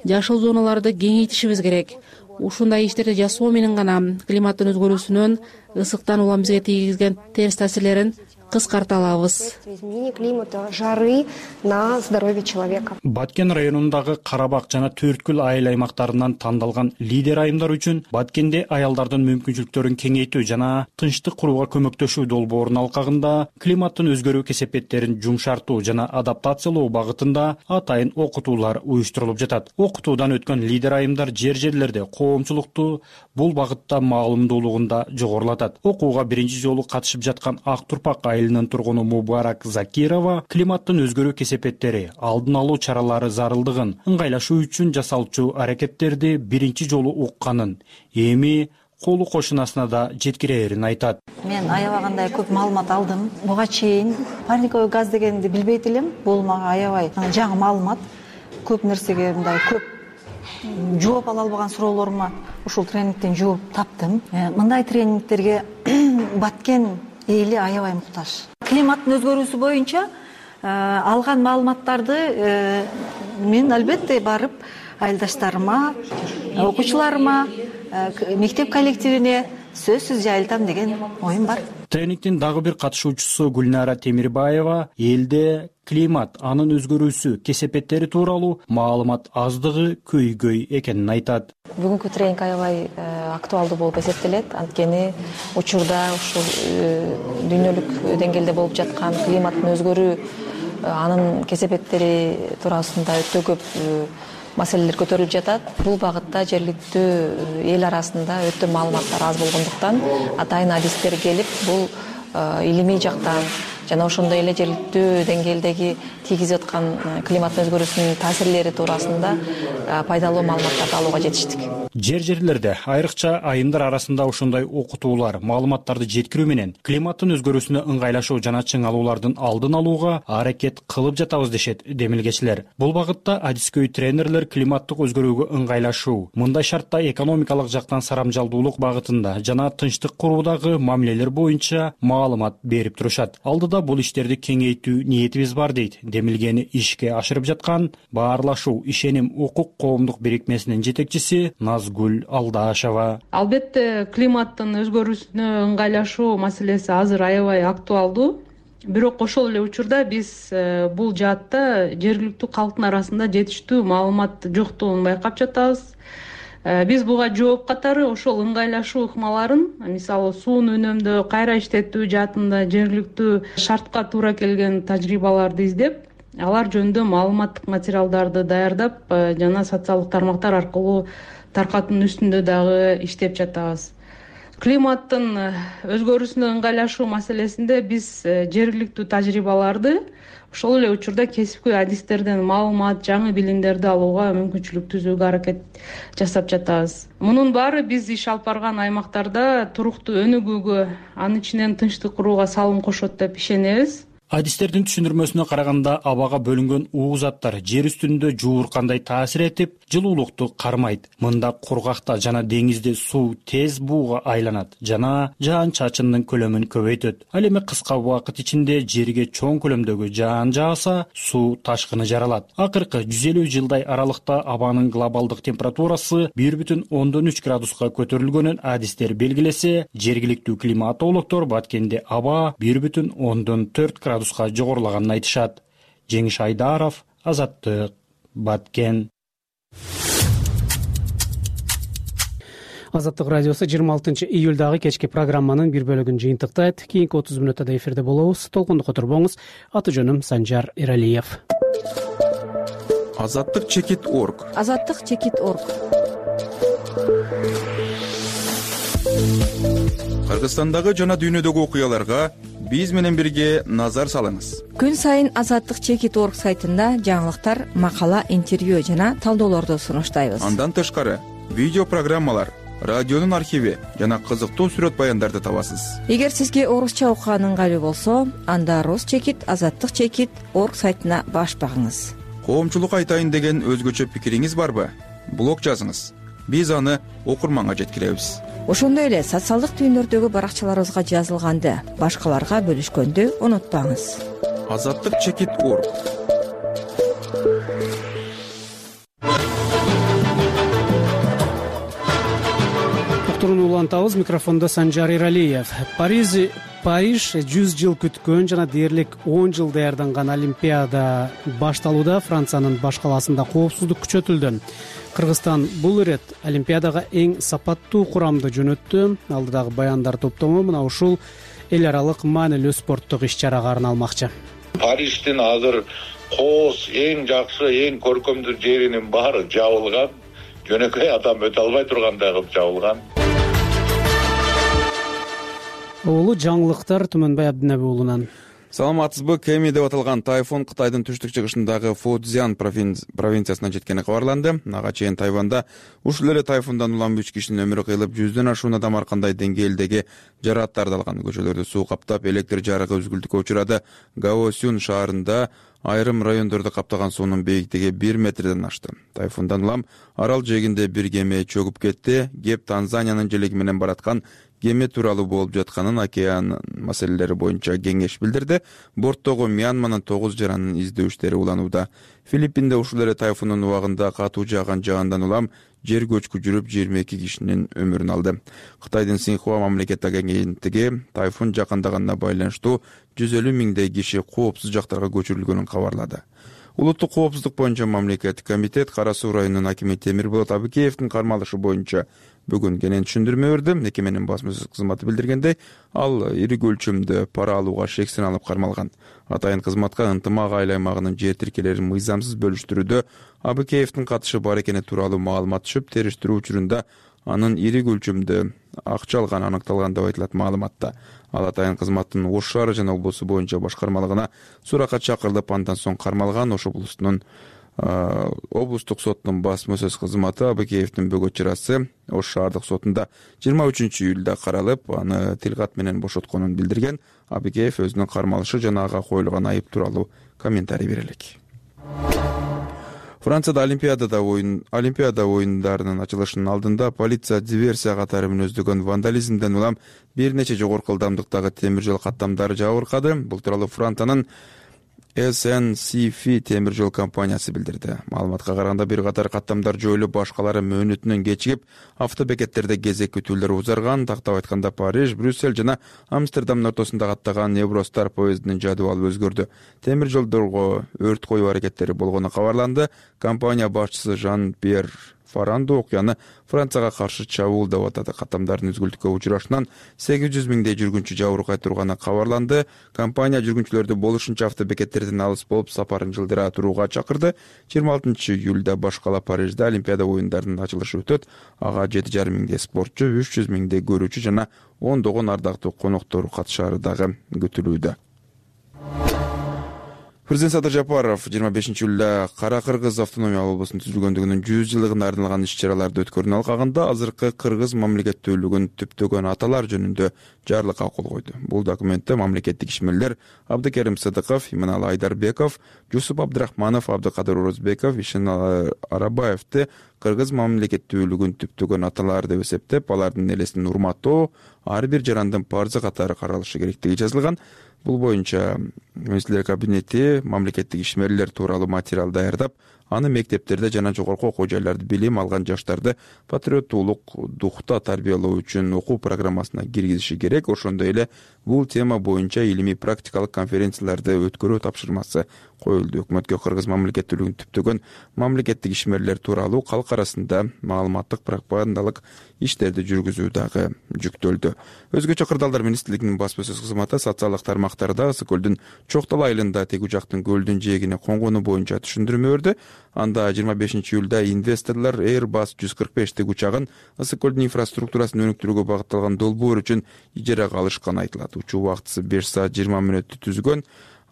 Жашыл зоналарды кеңейтишибиз керек. Ушундай иштерди жасоо менен гана климаттын өзгөрүүсүнөн, ысыктан улам бизге тийгизген терс таасирлерин кыскарта алабыз. Изменение климата, жары на здоровье человека. Баткен районундагы Карабак жана Төрткүл айыл аймактарынан тандалган лидер айымдар үчүн Баткенде аялдардын мүмкүнчүлүктөрүн кеңейтүү жана тынчтык курууга көмөктөшүү долбоорунун алкагында климаттын өзгөрүү кесепеттерин жумшартуу жана адаптациялоо багытында атайын окутуулар уюштурулуп жатат. Окутуудан өткөн лидер айымдар жерлерде коомчулукту бул багытта маалымдуулугунда жогорулатат. Окууга биринчи жолу катышып жаткан Ак Турпак айылынын тургуну Мубарак Закирова климаттын өзгөрүү кесепеттери, алдын алуу чаралары зарылдыгын, ыңгайлашуу үчүн жасалчу аракеттерди биринчи жолу укканын, эми колу кошунасына да жеткирээрин айтат. Мен аябагандай көп маалымат алдым. Буга чейин парниковый газ дегенди билбейт элем. Бул мага аябай жаңы маалымат. Көп нерсеге мындай көп жооп ала албаган суроолорума ушул тренингден жооп таптым. Мындай тренингтерге Баткен эли аябай муктаж. Климаттын өзгөрүүсү боюнча алган маалыматтарды мен албетте барып айылдаштарыма, окуучуларыма, мектеп коллективине сөзсүз жайылтам деген оюм бар. Тренингдин дагы бир катышуучусу Гүлнара Темирбаева элде климат, анын өзгөрүүсү, кесепеттери тууралуу маалымат аздыгы көйгөй экенин айтат. Бүгүнкү тренинг аябай актуалдуу болуп эсептелет. Анткени учурда ушул дүйнөлүк деңгээлде болуп жаткан климаттын өзгөрүү, анын кесепеттери туурасында өтө көп маселелер көтөрүлүп жатат. Бул багытта жергиликтүү эл арасында өтө маалыматтар аз болгондуктан атайын адистер келип, бул илимий жактан жана ошондой эле жергиликтүү деңгээлдеги тийгизип аткан климаттын өзгөрүүсүнүн таасирлери туурасында пайдалуу маалыматтарды алууга жетиштик. Жерлерде айрыкча айымдар арасында ошондой окутуулар, маалыматтарды жеткирүү менен климаттын өзгөрүүсүнө ыңгайлашуу жана чыңалуулардын алдын алууга аракет кылып жатабыз дешет демилгечилер. Бул багытта адискөй тренерлер климаттык өзгөрүүгө ыңгайлашуу, мындай шартта экономикалык жактан сарамжалдуулук багытында жана тынчтык куруудагы мамилелер боюнча маалымат берип турушат. Алдыда бул иштерди кеңейтүү ниетибиз бар дейт демилгени ишке ашырып жаткан Баарлашуу ишеним укук коомдук бирикмесинин жетекчиси Назгүл Алдашева. Албетте климаттын өзгөрүүсүнө ыңгайлашуу маселеси азыр аябай актуалдуу. Бирок ошол эле учурда биз бул жаатта жергиликтүү калктын арасында жетиштүү маалымат жоктугун байкап жатабыз. Биз буга жооп катары ошол ыңгайлашуу ыкмаларын, мисалы сууну үнөмдөө, кайра иштетүү жаатында жергиликтүү шартка туура келген тажрыйбаларды издеп, алар жөнүндө маалыматтык материалдарды даярдап жана социалдык тармактар аркылуу таркатуунун үстүндө дагы иштеп жатабыз. Климаттын өзгөрүүсүнө ыңгайлашуу маселесинде биз жергиликтүү тажрыйбаларды ошол эле учурда кесипкөй адистерден маалымат, жаңы билимдерди алууга мүмкүнчүлүк түзүүгө аракет жасап жатабыз. Мунун баары биз иш алып барган аймактарда туруктуу өнүгүүгө, анын ичинен тынчтык курууга салым кошот деп ишенебиз. Адистердин түшүндүрмөсүнө караганда абага бөлүнгөн уу заттар жер үстүндө жууркандай таасир этип, жылуулукту кармайт. Мында кургакта жана деңизде суу тез бууга айланат жана жаан-чачындын көлөмүн көбөйтөт. Ал эми кыска убакыт ичинде жерге чоң көлөмдөгү жаан жааса, суу ташкыны жаралат. Акыркы 150 жылдай аралыкта абанын глобалдык температурасы 1,3 градуска көтөрүлгөнүн адистер белгилесе, жергиликтүү климатологдор Баткенде аба 1,4 градуска жогорулаганын айтышат. Жеңиш Айдаров, Азаттык, Баткен. Азаттык радиосу 26 июлдагы кечки программанын бир бөлүгүн жыйынтыктайт. Кийинки 30 мүнөттө эфирде болобуз. Толкундукка турбоңуз. Аты жөнүм Санжар Эралиев. Азаттык чекит.org. Азаттык чекит.org. Кыргызстандагы жана дүйнөдөгү окуяларга биз менен бирге назар салыңыз. Күн сайын Азаттык чекит.org сайтында жаңылыктар, макала, интервью жана талдоолорду сунуштайбыз. Андан тышкары видео программалар, радионун архиви жана кызыктуу сүрөт баяндарды табасыз. Эгер сизге орусча окуган ыңгайлуу болсо, анда рус чекит, азаттык чекит орг сайтына баш багыңыз. Коомчулук айтайын деген өзгөчө пикириңиз барбы? Блог жазыңыз. Биз аны окурманга жеткиребиз. Ошондой эле социалдык түйүндөрдөгү баракчаларыбызга жазылганды башкаларга бөлүшкөндү унутпаңыз. Азаттык чекит орг. Уктурууну улантабыз. Микрофондо Санжар Иралиев. Париж 100 жыл күткөн жана дээрлик 10 жыл даярданган Олимпиада башталууда. Франциянын баш калаасында коопсуздук күчөтүлдү. Кыргызстан бул ирет Олимпиадага эң сапаттуу курамды жөнөттү. Алдыдагы баяндар топтому мына ушул эл аралык маанилүү спорттук иш-чарага арналмакчы. Париждин азыр кооз эң жакшы, эң көркөмдүү жеринин баары жабылган. Жөнөкөй адам өтө албай тургандай кылып жабылган. Улуу жаңылыктар Түмөнбай Абдинеби уулунан. Саламатсызбы? Кеми деп аталган тайфун Кытайдын түштүк-чыгышындагы Фудзян провинциясына жеткени кабарланды. Ага чейин Тайванда ушул эле тайфундан улам 3 кишинин өмүрү кыйылып, 100дөн ашуун адам ар кандай деңгээлдеги жарааттарды алган. Көчөлөрдү суу каптап, электр жарыгы үзүлгүлүккө учурады. Гаосюн шаарында айрым райондорду каптаган суунун бийиктиги 1 метрден ашты. Тайфундан улам арал жээгинде бир кеме чөгүп кетти. Кеп Танзаниянын желеги менен бараткан кеме тууралуу болуп жатканын океан маселелери боюнча кеңеш билдирди. Борттогу Мьянманын 9 жаранын издөө иштери уланууда. Филиппинде ушул эле тайфундун убагында катуу жааган жаандан улам жер көчкү жүрүп 22 кишинин өмүрүн алды. Кытайдын Синьхуа мамлекеттик агенттиги тайфун жакындаганына байланыштуу 150 миңдей киши коопсуз жактарга көчүрүлгөнүн кабарлады. Улуттук коопсуздук боюнча мамлекеттик комитет Кара Суу районунун акими Темирболот Абыкеевдин кармалышы боюнча бүгүн кенен түшүндүрмө берди. Мекеменин басма-сөз кызматы билдиргендей, ал ири көлчөмдө пара алууга шексин алып кармалган. Атайын кызматка ынтымак айыл аймагынын жер тиркелерин мыйзамсыз бөлүштүрүүдө Абыкеевдин катышы бар экени тууралуу маалымат түшүп, териштирүү учурунда анын ири көлчөмдө акча алганы аныкталган деп айтылат маалыматта. Ал атайын кызматтын Ош шаары жана облусу боюнча башкармалыгына суракка чакырылып, андан соң кармалган. Ош облусунун облустук соттун басма-сөз кызматы Абыкеевдин бөгөт чарасы Ош шаардык сотунда 23-июлда каралып, аны тил кат менен бошотконун билдирген. Абыкеев өзүнүн кармалышы жана ага коюлган айып тууралуу комментарий бере элек. Францияда Олимпиада оюндарынын ачылышынын алдында полиция диверсия катары мүнөздөгөн вандализмден улам бир нече жогорку ылдамдыктагы темир жол каттамдары жабыркады. Бул тууралуу Франциянын SNCF темир жол компаниясы билдирди. Маалыматка караганда бир катар каттамдар жоюлуп, башкалары мөөнөтүнөн кечигип, автобекеттерде кезек күтүүлөр узарган. Тактап айтканда Париж, Брюссель жана Амстердамдын ортосунда каттаган Евростар поездинин жадыбалы өзгөрдү. Темир жолдорго өрт коюу аракеттери болгону кабарланды. Компания башчысы Жан-Пьер Фаранду окуяны Францияга каршы чабуул деп атады. Каттамдардын үзгүлтүккө учурашынан 800 миңдей жүргүнчү жабыркай турганы кабарланды. Компания жүргүнчүлөрдү болушунча автобекеттерден алыс болуп сапарын жылдыра турууга чакырды. 26-июлда баш кала Парижде Олимпиада оюндарынын ачылышы өтөт. Ага 7,5 миңдей спортчу, 300 миңдей көрүүчү жана ондогон ардактуу коноктор катышары дагы күтүлүүдө. Президент Садыр Жапаров 25-июлда Кара Кыргыз автономиялык облусунун түзүлгөндүгүнүн 100 жылдыгына арналган иш-чараларды өткөрүүнүн алкагында азыркы кыргыз мамлекеттүүлүгүн түптөгөн аталар жөнүндө жарлыкка кол койду. Бул документте мамлекеттик ишмерлер Абдыкерим Сыдыков, Иманалы Айдарбеков, Жусуп Абдрахманов, Абдыкадыр Орозбеков, Ишен Арабаевди кыргыз мамлекеттүүлүгүн түптөгөн аталар деп эсептеп, алардын элесин урматтоо ар бир жарандын парзы катары каралышы керектиги жазылган. Бул боюнча министрлер кабинети мамлекеттик ишмерлер тууралуу материал даярдап, аны мектептерде жана жогорку окуу жайларда билим алган жаштарды патриоттуулук духта тарбиялоо үчүн окуу программасына киргизиши керек. Ошондой эле бул тема боюнча илимий практикалык конференцияларды өткөрүү тапшырмасы коюлду. Өкмөткө кыргыз мамлекеттүүлүгүн түптөгөн мамлекеттик ишмерлер тууралуу калк арасында маалыматтык пропагандалык иштерди жүргүзүү дагы жүктөлдү. Өзгөчө кырдаалдар министрлигинин басма-сөз кызматы социалдык тармактарда Ысык көлдүн Чоктал айылында тег учактын көлдүн жээгине конгону боюнча түшүндүрмө берди. Анда 25-июлда инвесторлор Airbus 145 тег учагын Ысык көлдүн инфраструктурасын өнүктүрүүгө багытталган долбоор үчүн ижарага алышканы айтылат. Учуу убактысы 5 саат 20 мүнөттү түзгөн.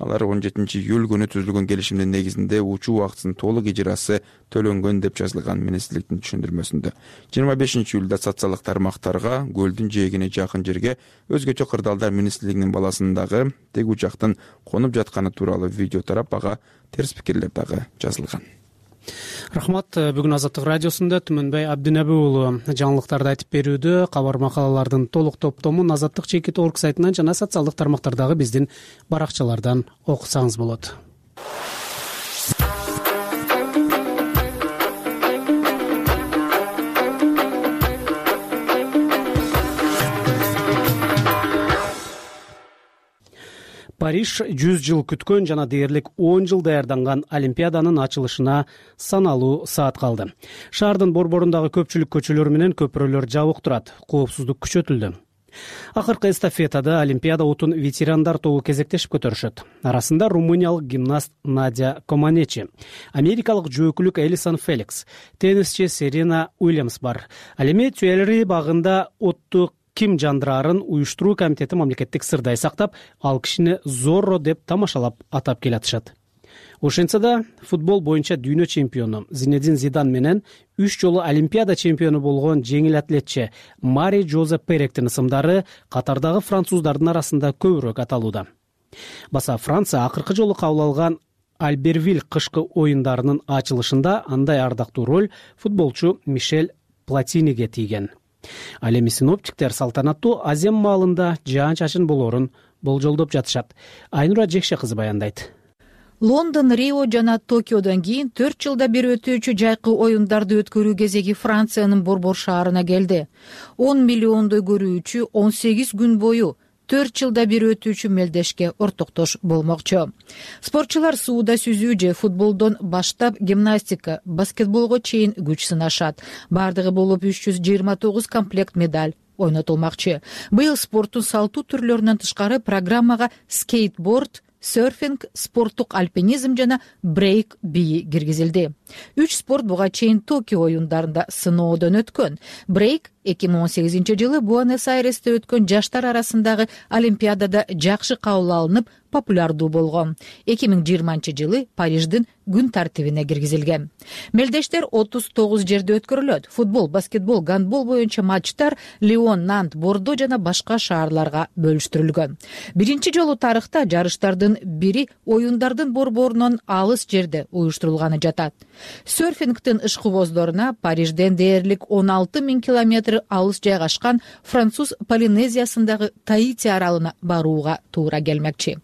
Алар 17-июль күнү түзүлгөн келишимдин негизинде учуу убактысынын толук ижрасы төлөнгөн деп жазылган министрликтин түшүндүрмөсүндө. 25-июлда социалдык тармактарга көлдүн жээгине жакын жерге өзгөчө кырдаалдар министрлигинин баласындагы тег учактын конуп жатканы тууралуу видео тарап, ага терс пикирлер дагы жазылган. Рахмат. Бүгүн Азаттык радиосунда Түмөнбай Абдинеби уулу жаңылыктарды айтып берүүдө. Кабар макалалардын толук топтомун azattik.org сайтынан жана социалдык тармактардагы биздин баракчалардан окусаңыз болот. Париж 100 жыл күткөн жана дээрлик 10 жыл даярданган Олимпиаданын ачылышына саналуу саат калды. Шаардын борборундагы көпчүлүк көчөлөр менен көпүрөлөр жабык турат. Коопсуздук күчөтүлдү. Акыркы эстафетада Олимпиада отун ветерандар тобу кезектешип көтөрүшөт. Арасында румыниялык гимнаст Надя Команечи, америкалык жөөкүлүк Элисон Феликс, теннисчи Серена Уильямс бар. Ал эми Тюэлери багында отту ким жандырарын уюштуруу комитети мамлекеттик сырдай сактап, ал кишини Зорро деп тамашалап атап келатышат. Ошентсе да футбол боюнча дүйнө чемпиону Зинедин Зидан менен 3 жолу Олимпиада чемпиону болгон жеңил атлетчи Мари Жозе Перектин ысымдары катардагы француздардын арасында көбүрөөк аталууда. Баса Франция акыркы жолу кабыл алган Альбервиль кышкы оюндарынын ачылышында андай ардактуу роль футболчу Мишель Платиниге тийген. Ал эми синоптиктер салтанаттуу Азем маалында жаан-чачын болоорун болжолдоп жатышат. Айнура Жекше кызы баяндайт. Лондон, Рио жана Токиодон кийин 4 жылда бир өтүүчү жайкы оюндарды өткөрүү кезеги Франциянын борбор шаарына келди. 10 миллиондой көрүүчү 18 күн бою 4 жылда бир өтүүчү мелдешке ортоктош болмокчу. Спортчулар сууда сүзүү же футболдон баштап гимнастика, баскетболго чейин күч сынашат. Бардыгы болуп 329 комплект медаль ойнотулмакчы. Быйыл спорттун салттуу түрлөрүнөн тышкары программага скейтборд, серфинг, спорттук альпинизм жана брейк бии киргизилди. 3 спорт буга чейин Токио оюндарында сыноодон өткөн. Брейк 2018-жылы Буэнос-Айресте өткөн жаштар арасындагы Олимпиадада жакшы кабыл алынып, популярдуу болгон. 2020-жылы Париждин күн тартибине киргизилген. Мелдештер 39 жерде өткөрүлөт. Футбол, баскетбол, гандбол боюнча матчтар Лион, Нант, Бордо жана башка шаарларга бөлүштүрүлгөн. Биринчи жолу тарыхта жарыштардын бири оюндардын борборунан алыс жерде уюштурулганы жатат. Серфингтин ишкыбоздоруна Парижден дээрлик 16 000 километр алыс жайгашкан француз Полинезиясындагы Таити аралына барууга туура келмекчи.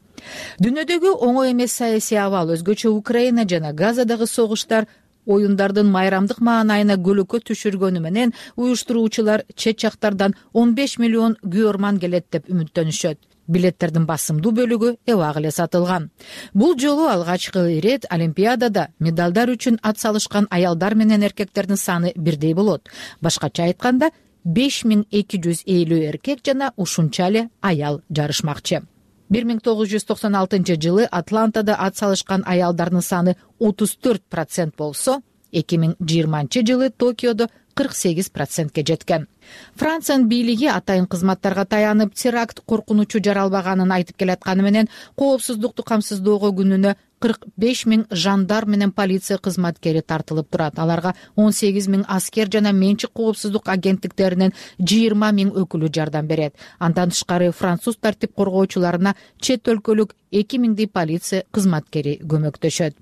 Дүйнөдөгү оңой эмес саясий абал, өзгөчө Украина жана Газадагы согуштар оюндардын майрамдык маанайына көлөкө түшүргөнү менен уюштуруучулар чет жактардан 15 миллион күйөрман келет деп үмүттөнүшөт. Билеттердин басымдуу бөлүгү эбак эле сатылган. Бул жолу алгачкы ирет Олимпиадада медалдар үчүн ат салышкан аялдар менен эркектердин саны бирдей болот. Башкача айтканда 5250 эркек жана ушунча эле аял жарышмакчы. 1996 жылы Атлантада ат салышкан аялдардын саны 34% болсо, 2020 жылы Токиодо 48%ке жеткен. Франциянын бийлиги атайын кызматтарга таянып, теракт коркунучу жаралбаганын айтып келатканы менен коопсуздукту камсыздоого күнүнө 45 000 жандар менен полиция кызматкери тартылып турат. Аларга 18 000 аскер жана менчик коопсуздук агенттиктеринен 20 000 өкүлү жардам берет. Андан тышкары француз тартип коргоочуларына чет өлкөлүк 2000 полиция кызматкери көмөктөшөт.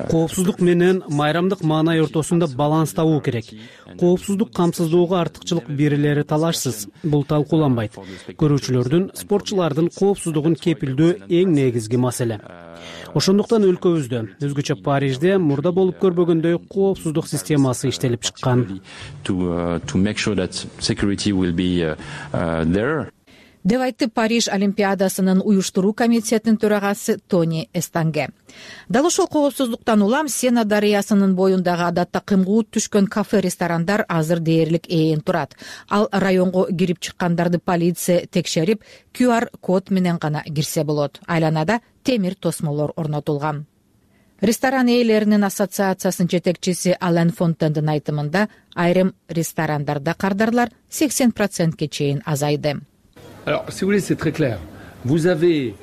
Коопсуздук менен майрамдык маанай ортосунда баланс табуу керек. Коопсуздук камсыздоого артыкчылык берилери талашсыз. Бул талкууланбайт. Көрүүчүлөрдүн, спортчулардын коопсуздугун кепилдөө эң негизги маселе. Ошондуктан өлкөбүздө, өзгөчө Парижде мурда болуп көрбөгөндөй коопсуздук системасы иштелип чыккан. Деп айтты Париж Олимпиадасынын уюштуруу комитетинин төрагасы Тони Эстанге. Дал ошол коопсуздуктан улам Сена дарыясынын боюндагы адатта кымгуут түшкөн кафе-ресторандар азыр дээрлик ээн турат. Ал районго кирип чыккандарды полиция текшерип, QR код менен гана кирсе болот. Айланада темир тосмолор орнотулган. Ресторан ээлеринин ассоциациясынын жетекчиси Ален Фонтендин айтымында, айрым ресторандарда кардарлар 80%ке чейин азайды. Alors, si vous voulez, c'est très clair. Vous avez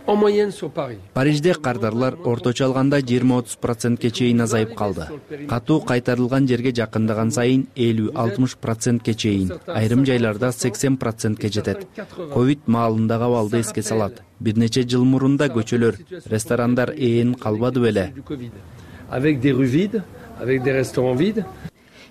en moyenne sur Paris. Парижде кардарлар орточо алганда 20-30%ке чейин азайып калды. Катуу кайтарылган жерге жакындаган сайын 50-60%ке чейин, айрым жайларда 80%ке жетет. Ковид маалындагы абалды эске салат. Бир нече жыл мурун да көчөлөр, ресторандар ээн калбады беле. Avec des rues vides, avec des restaurants vides.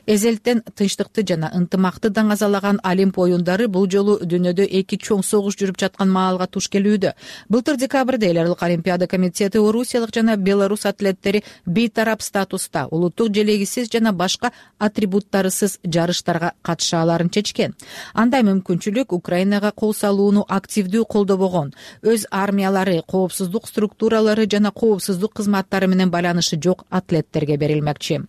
Эзелтен тынчтыкты жана ынтымакты даңазалаган Олимп оюндары бул жолу дүйнөдө эки чоң согуш жүрүп жаткан маалга туш келүүдө. Былтыр декабрда эл аралык Олимпиада комитети орусиялык жана белорус атлеттери бейтарап статуста улуттук желегисиз жана башка атрибуттарысыз жарыштарга катыша аларын чечкен. Андай мүмкүнчүлүк Украинага кол салууну активдүү колдобогон, өз армиялары, коопсуздук структуралары жана коопсуздук кызматтары менен байланышы жок атлеттерге берилмекчи.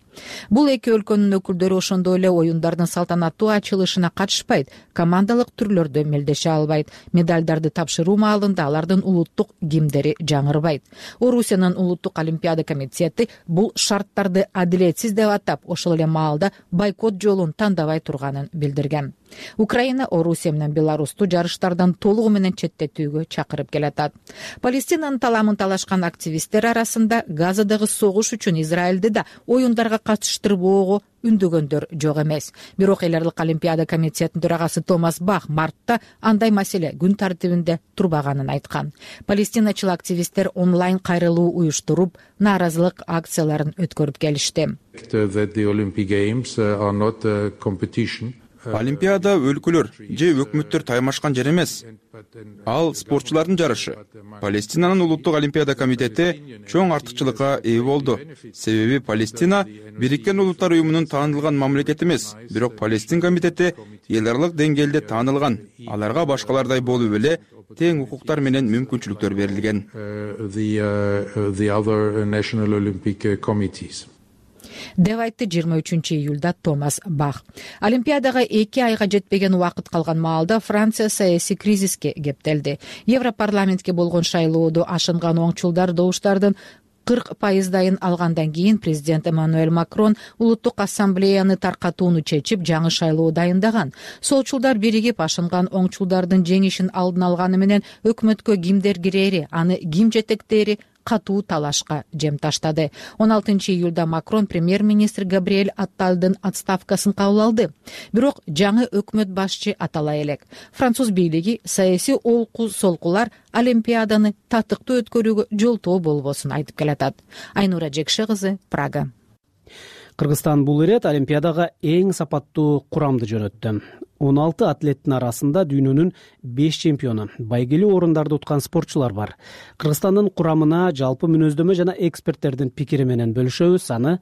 Бул эки өлкөнүн өкүлдөрү ошондой эле оюндардын салтанаттуу ачылышына катышпайт, командалык түрлөрдө мелдеше албайт, медалдарды тапшыруу маалында алардын улуттук гимндери жаңырбайт. Орусиянын улуттук олимпиада комитети бул шарттарды адилетсиз деп атап, ошол эле маалда бойкот жолун тандабай турганын билдирген. Украина Орусия менен Беларусту жарыштардан толугу менен четтетүүгө чакырып келатат. Палестинанын таламын талашкан активисттер арасында Газадагы согуш үчүн Израилди да оюндарга катыштырбоого үндөгөндөр жок эмес. Бирок эл аралык олимпиада комитетинин төрагасы Томас Бах мартта андай маселе күн тартибинде турбаганын айткан. Палестиначыл активисттер онлайн кайрылуу уюштуруп, нааразылык акцияларын өткөрүп келишти. Олимпиада өлкөлөр же өкмөттөр таймашкан жер эмес. Ал спортчулардын жарышы. Палестинанын улуттук олимпиада комитети чоң артыкчылыкка ээ болду. Себеби Палестина Бириккен Улуттар уюмунун таанылган мамлекети эмес, бирок Палестин комитети эл аралык деңгээлде таанылган. Аларга башкалардай болуп эле тең укуктар менен мүмкүнчүлүктөр берилген. Деп айтты 23-июлда Томас Бах. Олимпиадага 2 айга жетпеген убакыт калган маалда Франция саясий кризиске кептелди. Европарламентке болгон шайлоодо ашынган оңчулдар добуштардын 40% алгандан кийин президент Эммануэль Макрон улуттук ассамблеяны таркатууну чечип, жаңы шайлоо дайындаган. Солчулдар биригип ашынган оңчулдардын жеңишин алдын алганы менен өкмөткө кимдер кирери, аны ким жетектери катуу талашка жем таштады. 16-июлда Макрон премьер-министр Габриэль Атталдын отставкасын кабыл алды. Бирок жаңы өкмөт башчы атала элек. Француз бийлиги саясий олку-солкулар Олимпиаданы татыктуу өткөрүүгө жолтоо болбосун айтып келатат. Айнура Жекше кызы, Прага. Кыргызстан бул ирет Олимпиадага эң сапаттуу курамды жөнөттү. 16 атлеттин арасында дүйнөнүн 5 чемпиону, байгелүү орундарды уткан спортчулар бар. Кыргызстандын курамына жалпы мүнөздөмө жана эксперттердин пикири менен бөлүшөбүз. Аны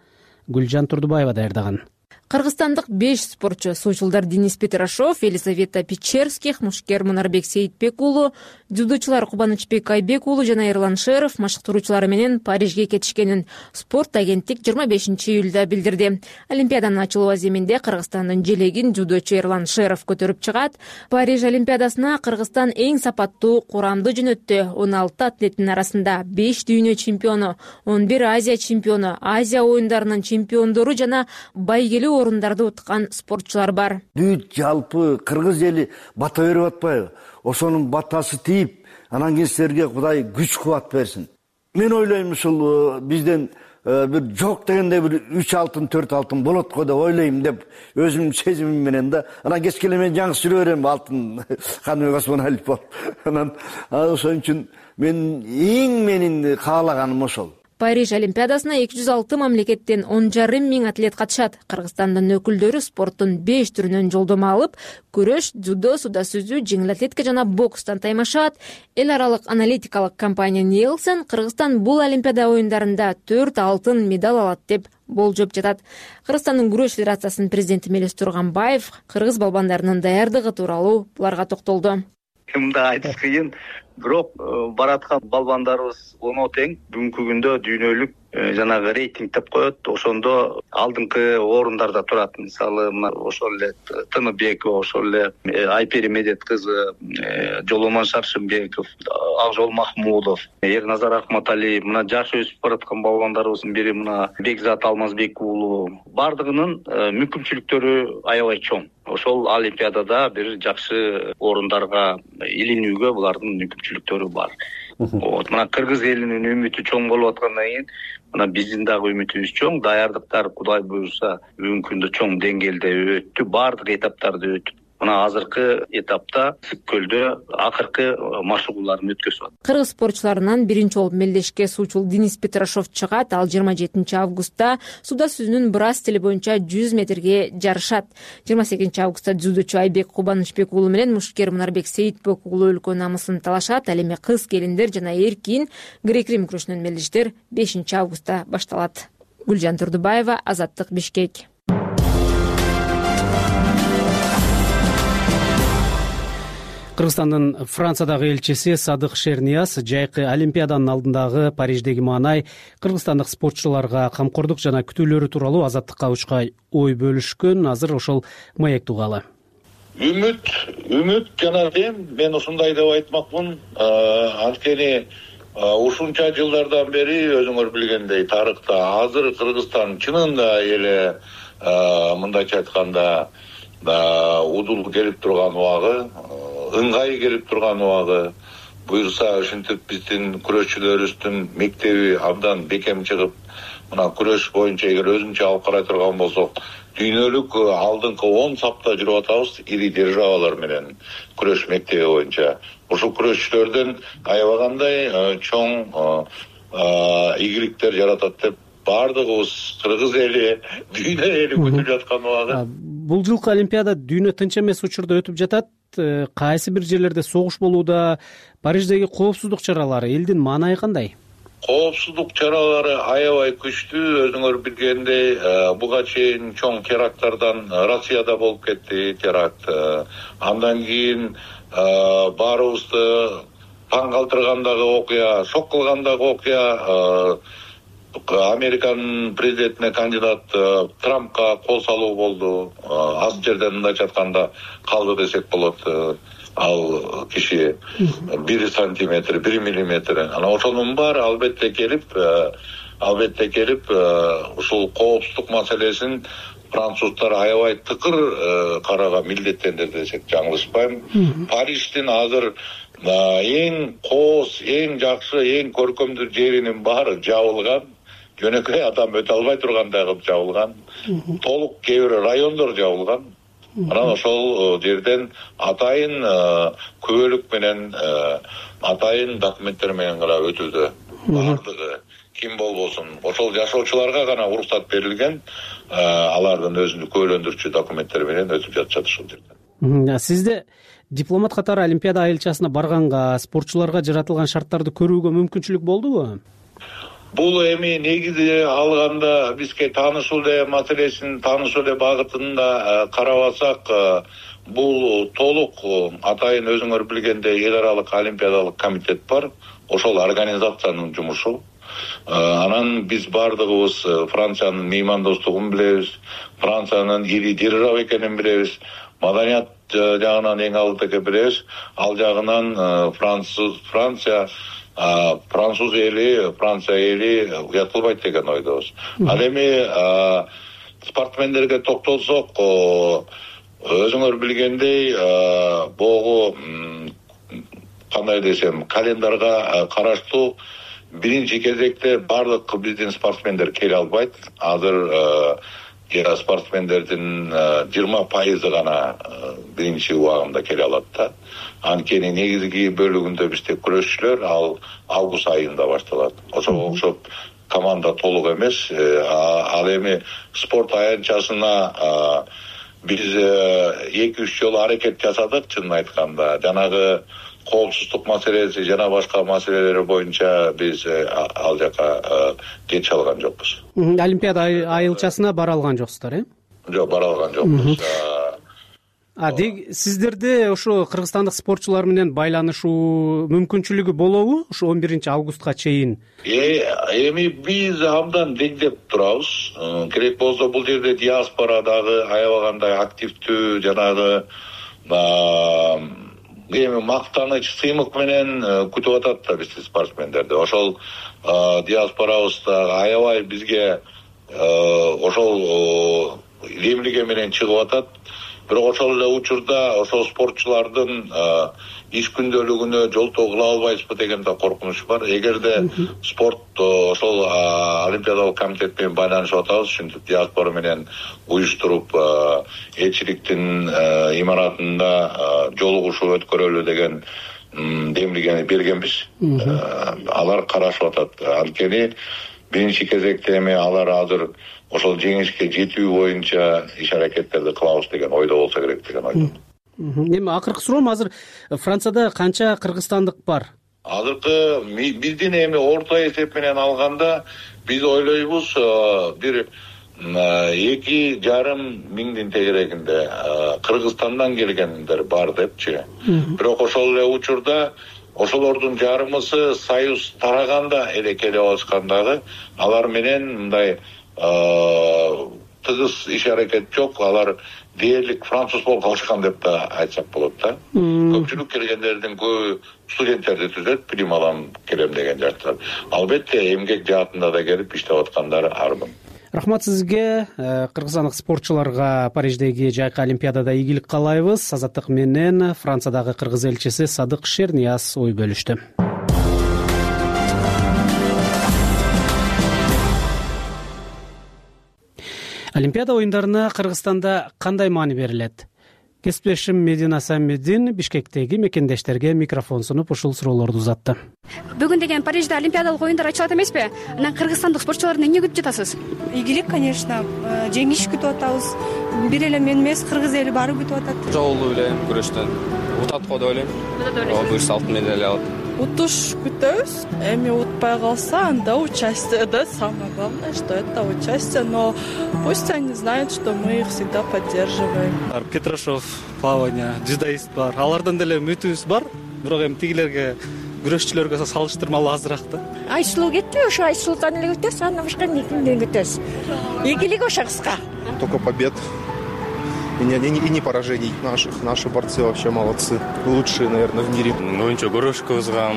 Гүлжан Турдубаева даярдаган. Кыргызстандык 5 спортчу суучулдар Денис Петрашов, Елизавета Печерских, Мушкер Мунарбек Сейитбек уулу, дзюдочулар Кубанычбек Айбек уулу жана Эрлан Шеров машыктыруучулары менен Парижге кетишкенин спорт агенттик 25-июлда билдирди. Олимпиаданын ачылуу аземинде Кыргызстандын желегин дзюдочу Эрлан Шеров көтөрүп чыгат. Париж Олимпиадасына Кыргызстан эң сапаттуу курамды жөнөттү. 16 атлеттин арасында 5 дүйнө чемпиону, 11 Азия чемпиону, Азия оюндарынын чемпиондору жана байгелүү орундарды уткан спортчулар бар. Бүт жалпы кыргыз эли бата берип атпайбы? Ошонун батасы тийип, анан кийин силерге Кудай күч кубат берсин. Мен ойлойм, ушул бизден бир жок дегенде бир 3 алтын, 4 алтын болот го деп ойлойм деп өзүмдүн сезимим менен да. Анан кечке мен жаңы сүрө берем алтын кандайбек Осмоналиев болуп. Анан ошон үчүн менин каалаганым ошол. Париж Олимпиадасына 206 мамлекеттен 10,5 миң атлет катышат. Кыргызстандын өкүлдөрү спорттун 5 түрүнөн жолдомо алып, күрөш, дзюдо, суда сүзүү, жеңил атлетика жана бокстан таймашат. Эл аралык аналитикалык компания Nielsen Кыргызстан бул Олимпиада оюндарында 4 алтын медаль алат деп болжоп жатат. Кыргызстандын күрөш федерациясынын президенти Мелис Турганбаев кыргыз балбандарынын даярдыгы тууралуу буларга токтолду. Мында айтыш кыйын. бирок бараткан балбандарыбыз оно тең. Бүгүнкү күндө дүйнөлүк жанагы рейтинг деп коет. Ошондо алдыңкы орундарда турат. Мисалы, мына ошол эле Тыныбекова, ошол эле Айпери Медет кызы, Жоломон Шаршымбеков, Акжол Махмудов, Эрназар Акматалиев, мына жаш өсүп бараткан балбандарыбыздын бири мына Бекзат Алмазбек уулу. Бардыгынын мүмкүнчүлүктөрү аябай чоң. Ошол олимпиадада бир жакшы орундарга илинүүгө булардын мүмкүнчүлүктөрү бар. Мына кыргыз элинин үмүтү чоң болуп аткандан кийин мына биздин дагы үмүтүбүз чоң. Даярдыктар Кудай буйруса бүгүнкү күндө чоң деңгээлде өттү, баардык этаптарды өтүп мына азыркы этапта Ысык көлдө акыркы машыгууларын өткөзүп атат. Кыргыз спортчуларынан биринчи болуп мелдешке суучул Денис Петрашов чыгат. Ал 27 августта сууда сүзүүнүн брас стили боюнча 100 метрге жарышат. 28 августта дзюдочу Айбек Кубанычбек уулу менен мушкер Мунарбек Сейитбек уулу өлкө намысын талашат. Ал эми кыз келиндер жана эркин грек-рим күрөшүнөн мелдештер 5 августта башталат. Гүлжан Турдубаева, Азаттык, Бишкек. Кыргызстандын Франциядагы элчиси Садык Шернияз жайкы Олимпиаданын алдындагы Париждеги маанай кыргызстандык спортчуларга камкордук жана күтүүлөрү тууралуу Азаттыкка учкай ой бөлүшкөн. Азыр ошол маекти угалы. Үмүт жана дем, мен ушундай деп айтмакмын. Анткени ушунча жылдардан бери өзүңөр билгендей тарыхта азыр Кыргызстан чынында эле мындайча айтканда удул келип турган убагы, ыңгай келип турган убагы. Буюрса ушинтип биздин күрөшчүлөрүбүздүн мектеби абдан бекем чыгып, мына күрөш боюнча эгер өзүнчө алып карай турган болсок, дүйнөлүк алдыңкы 10 сапта жүрүп атабыз ири державалар менен күрөш мектеби боюнча. Ушул күрөшчүлөрдөн аябагандай чоң ийгиликтер жаратат деп баардыгыбыз кыргыз эли, дүйнө эли күтүп жаткан убагы. Бул жылкы Олимпиада дүйнө тынч эмес учурда өтүп жатат. Кайсы бир жерлерде согуш болууда. Париждеги коопсуздук чаралары элдин маанайы кандай? Коопсуздук чаралары аябай күчтүү. Өзүңөр билгендей, буга чейин чоң теракттардан Россияда болуп кетти теракт. Андан кийин баарыбызды таң калтыргандагы окуя, шок кылгандагы окуя Американын президентине кандидат Трампка кол салуу болду. Аз жерден мындайча айтканда калды десек болот. Ал киши 1 сантиметр, 1 миллиметр. Ана ошонун баары албетте келип ушул коопсуздук маселесин француздар аябай тыкыр карага милдеттенди десек жаңылышпайм. Париждин азыр эң кооз, эң жакшы, эң көркөмдүү жеринин баары жабылган. Жөнөкөй адам өтө албай тургандай кылып жабылган. Толук кээ бир райондор жабылган. Анан ошол жерден атайын күбөлүк менен, атайын документтер менен гана өтүүдө. Бардыгы ким болбосун, ошол жашоочуларга гана уруксат берилген. Алардын өзүнүн күбөлөндүрчү документтери менен өтүп жатышат ушул жерде. Сизде дипломат катары Олимпиада айылчасына барганга, спортчуларга жаратылган шарттарды көрүүгө мүмкүнчүлүк болдубу? Бул эми негизи алганда бизге таанышуу маселесин, таанышуу багытында карабасак, бул толук атайын өзүңөр билгендей эл аралык олимпиадалык комитет бар. Ошол организациянын жумушу. Анан биз бардыгыбыз Франциянын меймандостугун билебиз, Франциянын ири держава экенин билебиз, маданият жагынан эң алдыда билебиз. Ал жагынан Француз эли, Франция эли уятылбайт деген ойдобуз. Ал эми спортсмендерге токтолсок, өзүңөр билгендей, богу кандай десем, календарга караштуу биринчи кезекте бардык биздин спортсмендер келе албайт. Азыр спортсмендердин 20% гана биринчи убагында келе алат да. Анткени негизги бөлүгүндө бизде күрөшчүлөр ал август айында башталат. Ошого окшоп команда толук эмес. Ал эми спорт аянтчасына биз 2-3 жолу аракет жасадык, чынын айтканда. Жанагы коопсуздук маселеси жана башка маселелер боюнча биз ал жака кете алган жокпуз. Олимпиада айылчасына бара алган жоксуздар, Жок, бара алган жокпуз. Сиздерде ошо кыргызстандык спортчулар менен байланышуу мүмкүнчүлүгү болобу ушу 11 августка чейин? Эми биз абдан деңдеп турабыз. Керек болсо бул жерде диаспора дагы аябагандай активдүү, жанагы эми мактаныч сыймык менен күтүп атат да бизди спортсмендерди. Ошол диаспорабыз да аябай бизге ошол эмлиге менен чыгып атат. Бирок ошол эле учурда ошол спортчулардын иш күндөлүгүнө жолтоо кыла албайбызбы деген да коркунуч бар. Эгерде спорт ошол Олимпиадалык комитет менен байланышып атабыз, ушинтип диаспора менен уюштуруп элчиликтин имаратында жолугушуу өткөрөлү деген демилгени бергенбиз. Алар карашып атат. Анткени биринчи кезекте эми алар азыр ошол жеңишке жетүү боюнча иш аракеттерди кылабыз деген ойдо болсо керек деген ойдомун. Эми акыркы суроом, азыр Францияда канча кыргызстандык бар? Азыркы биздин эми орто эсеп менен алганда биз ойлойбуз бир 2,5 миңдин тегерегинде Кыргызстандан келгендер бар депчи. Бирок ошол эле учурда ошолордун жарымысы союз тараганда эле келип алышкан дагы, алар менен мындай тыгыз иш аракет жок. Алар дээрлик француз болуп калышкан деп да айтсак болот да. Көпчүлүк келгендердин көбү студенттерди түзөт, билим алам, келем деген жаштар. Албетте эмгек жаатында да келип иштеп аткандар армын. Рахмат сизге. Кыргызстандык спортчуларга Париждеги жайкы Олимпиадада ийгилик каалайбыз. Азаттык менен Франциядагы кыргыз элчиси Садык Шернияз ой бөлүштү. Олимпиада оюндарына Кыргызстанда кандай маани берилет? Кесиптешим Медина Самедин Бишкектеги мекендештерге микрофон сунуп ушул суроолорду узатты. Бүгүн деген Парижде Олимпиадалык оюндар ачылат эмеспи? Анан кыргызстандык спортчуларды эмне күтүп жатасыз? Ийгилик, конечно. Жеңиш күтүп атабыз. Бир эле мен эмес, кыргыз эли баары күтүп атат. Жолу эле күрөштөн утат го деп ойлойм. Буюрса алтын медаль алат. Утуш күтөбүз. Эми утпай калса, анда участие, да, самое главное, что это участие, но пусть они знают, что мы их всегда поддерживаем. Петрашов, плавание, дзюдоист бар. Алардан деле үмүтүбүз бар. Бирок эми тигилерге, күрөшчүлөргө салыштырмалуу азыраак да. Айсулуу кетти, ошо Айсулуудан эле күтөбүз, андан башка эмнеден күтөбүз? Ийгилик ошо кыска. Только побед. И не поражений наших. Наши борцы вообще молодцы. Лучшие, наверное, в мире. Оюнчу Горошковузга,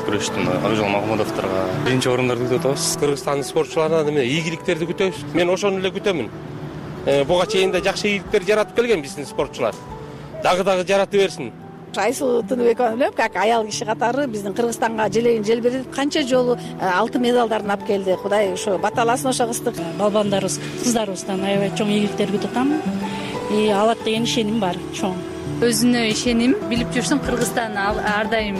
күрөштүн Акжол Магмудовторго биринчи орундарды күтүп атабыз. Кыргызстандын спортчуларынан эмне ийгиликтерди күтөбүз. Мен ошону эле күтөмүн. Буга чейин да жакшы ийгиликтер жаратып келген биздин спортчулар. Дагы жарата берсин. Айсулуу Тыныбекова билем, как аял киши катары биздин Кыргызстанга желегин желбиретип канча жолу алтын медалдарын алып келди. Кудай ошо баталасын ошо кыздык. Балбандарыбыз, кыздарыбыздан аябай чоң ийгиликтер күтүп атам. Алат деген ишеним бар, чоң. Өзүнө ишеним, билип жүрсүң, Кыргызстан ар дайым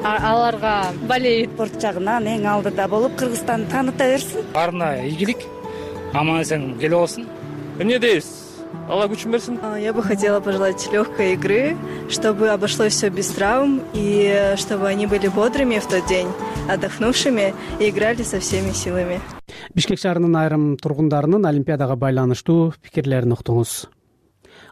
аларга болейт. Спорт жагынан эң алдыда болуп, Кыргызстанды тааныта берсин. Баарына ийгилик, аман-эсен келип алсын. Эмне дейсиз? Алла күчүн берсин. Я бы хотела пожелать легкой игры, чтобы обошлось все без травм, и чтобы они были бодрыми в тот день, отдохнувшими и играли со всеми силами. Бишкек шаарынын айрым тургундарынын Олимпиадага байланыштуу пикирлерин уктуңуз.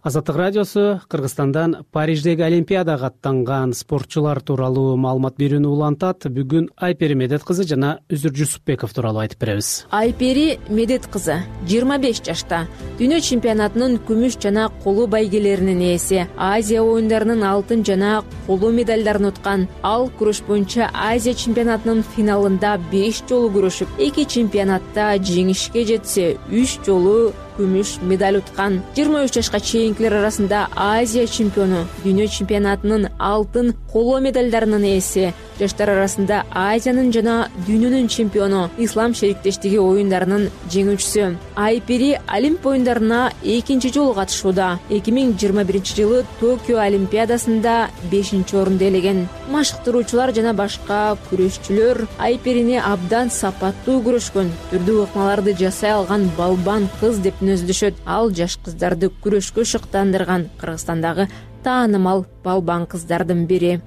Азаттык радиосу Кыргызстандан Париждеги Олимпиадага аттанган спортчулар тууралуу маалымат берүүнү улантат. Бүгүн Айпери Медет кызы жана Үзүр Жусупбеков тууралуу айтып беребиз. Айпери Медет кызы 25 жашта. Дүйнө чемпионатынын күмүш жана колу байгелеринин ээси. Азия оюндарынын алтын жана колу медалдарын уткан. Ал күрөш боюнча Азия чемпионатынын финалында 5 жолу күрөшүп, 2 чемпионатта жеңишке жетсе, 3 жолу күмүш медаль уткан. 23 жашка чейинкилер арасында Азия чемпиону, дүйнө чемпионатынын алтын коло медалдарынын ээси, жаштар арасында Азиянын жана дүйнөнүн чемпиону, Ислам шериктештиги оюндарынын жеңүүчүсү. Айпери Олимп оюндарына 2-нчи жолу катышууда. 2021 жылы Токио Олимпиадасында 5-орунду ээлеген. Машыктыруучулар жана башка күрөшчүлөр Айперини абдан сапаттуу күрөшкөн, түрдүү ыкмаларды жасай алган балбан кыз деп нөздүшөт. Ал жаш кыздарды күрөшкө шыктандырган Кыргызстандагы таанымал балбан кыздардын бири.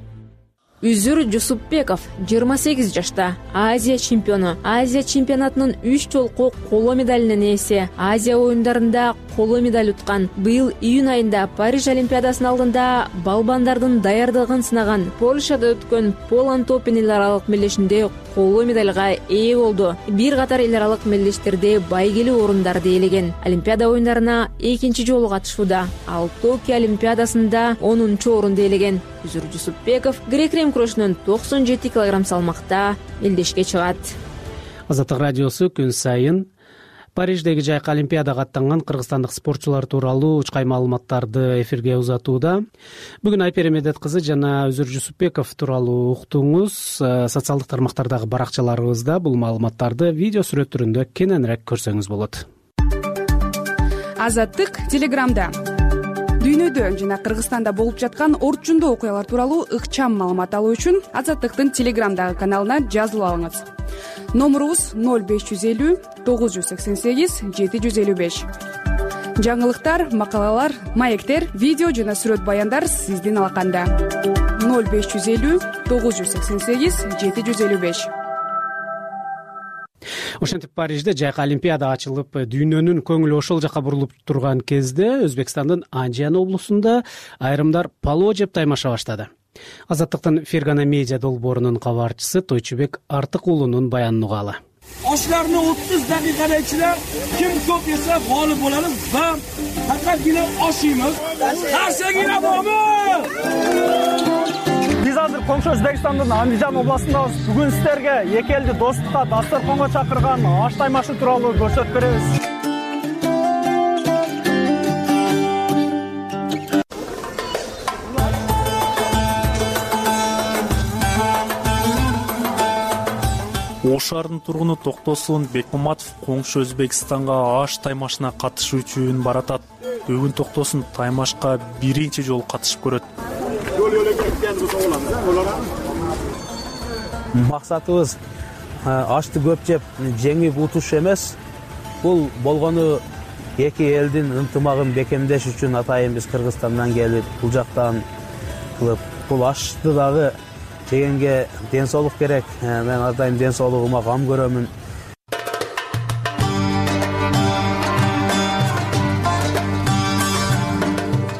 Үзүр Жусупбеков 28 жашта, Азия чемпиону. Азия чемпионатынын 3 жолку коло медалинин ээси. Азия оюндарында коло медаль уткан. Быйыл июнь айында Париж олимпиадасынын алдында балбандардын даярдыгын сынаган Польшада өткөн Поланд Open эл аралык мелдешинде коло медальга ээ болду. Бир катар эл аралык мелдештерде байгелүү орундарды ээлеген. Олимпиада оюндарына экинчи жолу катышууда. Ал Токио олимпиадасында 10-орунду ээлеген. Үзүр Жусупбеков грек-рим күрөшүнөн 97 кг салмакта мелдешке чыгат. Азаттык радиосу күн сайын Париждеги жайкы олимпиадага аттанган кыргызстандык спортчулар тууралуу учкай маалыматтарды эфирге узатууда. Бүгүн Айпери Медет кызы жана Үзүр Жусупбеков тууралуу уктуңуз. Социалдык тармактардагы баракчаларыбызда бул маалыматтарды видео сүрөт түрүндө кененирээк көрсөңүз болот. Азаттык Телеграмда дүйнөдө жана Кыргызстанда болуп жаткан орчундуу окуялар тууралуу ыкчам маалымат алуу үчүн Азаттыктын Телеграмдагы каналына жазылып алыңыз. Номурубуз 0550 988 755. Жаңылыктар, макалалар, маектер, видео жана сүрөт баяндар сиздин алаканда. 0550 988 755. Ошентип Парижде жайкы олимпиада ачылып, дүйнөнүн көңүлү ошол жака бурулуп турган кезде Өзбекстандын Анжиан облусунда айрымдар палоо жеп таймаша баштады. Азаттыктын Фергана медиа долбоорунун кабарчысы Тойчубек Артык уулунун баянын угалы. Oshlarni 30 daqiqada ichida kim ko'p yesa g'olib bo'ladi va faqatgina oshimiz. Qarshigina bormi? Биз азыр коңшу Өзбекстандын Андижан областындабыз. Бүгүн сиздерге эки элди достукка, дасторконго чакырган аш таймашы тууралуу көрсөтүп беребиз. Ош шаарынын тургуну Токтосун Бекмаматов коңшу Өзбекстанга аш таймашына катышуу үчүн баратат. Бүгүн Токтосун таймашка биринчи жолу катышып көрөт. Максатыбыз ашты көп жеп жеңип утуш эмес. Бул болгону эки элдин ынтымагын бекемдеш үчүн атайын биз Кыргызстандан келип, бул жактан кылып, бул ашты дагы жегенге ден соолук керек. Мен ар дайым ден соолугума кам көрөмүн.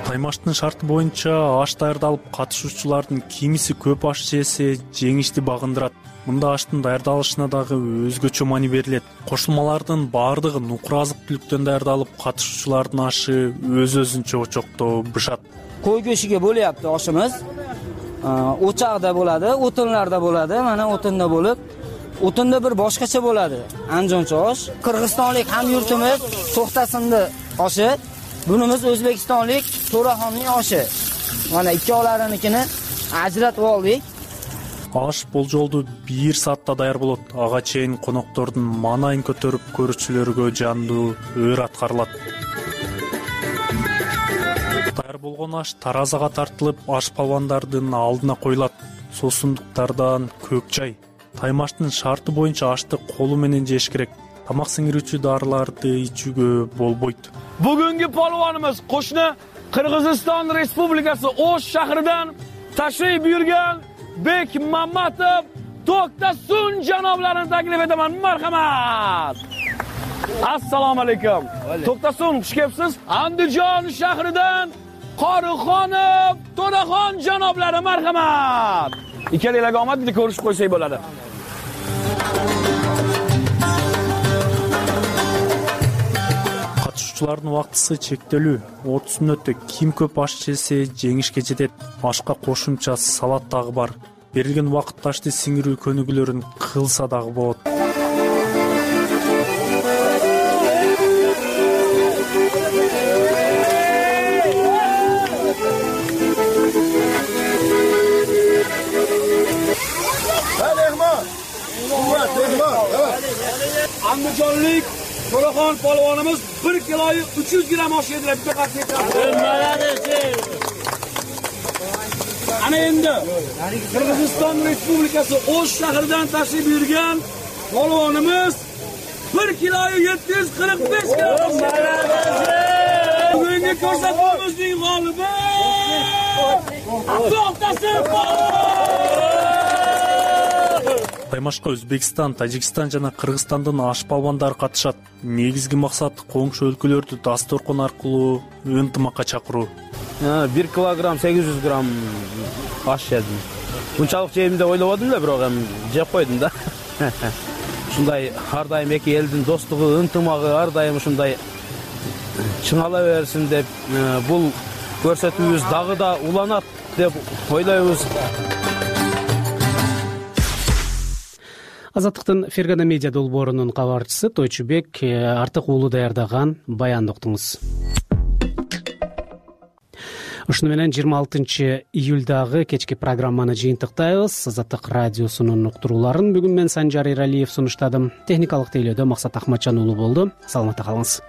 Таймаштын шарты боюнча аш даярдалып, катышуучулардын кимиси көп аш жесе жеңишти багындырат. Мында аштын даярдалышына дагы өзгөчө маани берилет. Кошулмалардын баардыгы нукур азык-түлүктөн даярдалып, катышуучулардын ашы өз-өзүнчө очокто бышат. Кой көшүгө бөлөптү ашыбыз. Очакта болот, отунларда болот. Мана отунда болуп, отунда бир башкача болот. Анжончо аш. Кыргызстандык хамюртумуз Токтосунду ашы. Bunimiz O'zbekistonlik To'raxonning oshi. Mana ikkovlarinikini ajratib oldik. Аш болжолду 1 саатта даяр болот. Ага чейин коноктордун маанайын көтөрүп көрүүчүлөргө жандуу өр аткарылат. Даяр болгон аш таразага тартылып, аш палвандардын алдына коюлат. Сосундуктардан көк чай. Таймаштын шарты боюнча ашты колу менен жеш керек. Тамак сиңирүүчү дарыларды ичүүгө болбойт. Бүгүнкү полвонimiz qo'shni Qirg'iziston Respublikasi Osh shahridan tashrif buyurgan Bekmamatov To'ktasun janoblarini taklif etaman. Marhamat. Assalomu alaykum. To'ktasun, xush kelibsiz. Andijon shahridan Qorixonov To'raxon janoblari, marhamat. Ikkalanglarga omad, bitta ko'rishib qo'ysak bo'ladi. Катышуучулардын убактысы чектелүү. 30 мүнөттө ким көп аш жесе жеңишке жетет. Ашка кошумча салат дагы бар. Берилген убакытта ашты сиңирүү көнүгүүлөрүн кылса дагы болот. Andijonlik To'raxon polvonimiz 1 kiloyu 300 gram osh yedilar. Bitta qattiq. Ana endi Qirg'iziston Respublikasi Osh shahridan tashrif buyurgan polvonimiz 1 kiloyu 745 gram. Bugungi ko'rsatuvimizning g'olibi To'ktasun polvon. Таймашка Өзбекстан, Тажикстан жана Кыргызстандын аш балбандары катышат. Негизги максат коңшу өлкөлөрдү дасторкон аркылуу ынтымакка чакыруу. 1 килограмм 800 грамм аш жедим. Мынчалык жейм деп ойлободум эле, бирок эми жеп койдум да. Ушундай ар дайым эки элдин достугу, ынтымагы ар дайым ушундай чыңала берсин деп, бул көрсөтүүбүз дагы да уланат деп ойлойбуз. Азаттыктын Фергана медиа долбоорунун кабарчысы Тойчубек Артык уулу даярдаган баянды уктуңуз. Ушуну менен 26-июлдагы кечки программаны жыйынтыктайбыз. Азаттык радиосунун уктурууларын бүгүн мен Санжар Эралиев сунуштадым. Техникалык тейлөөдө Максат Ахматжан уулу болду. Саламатта калыңыз.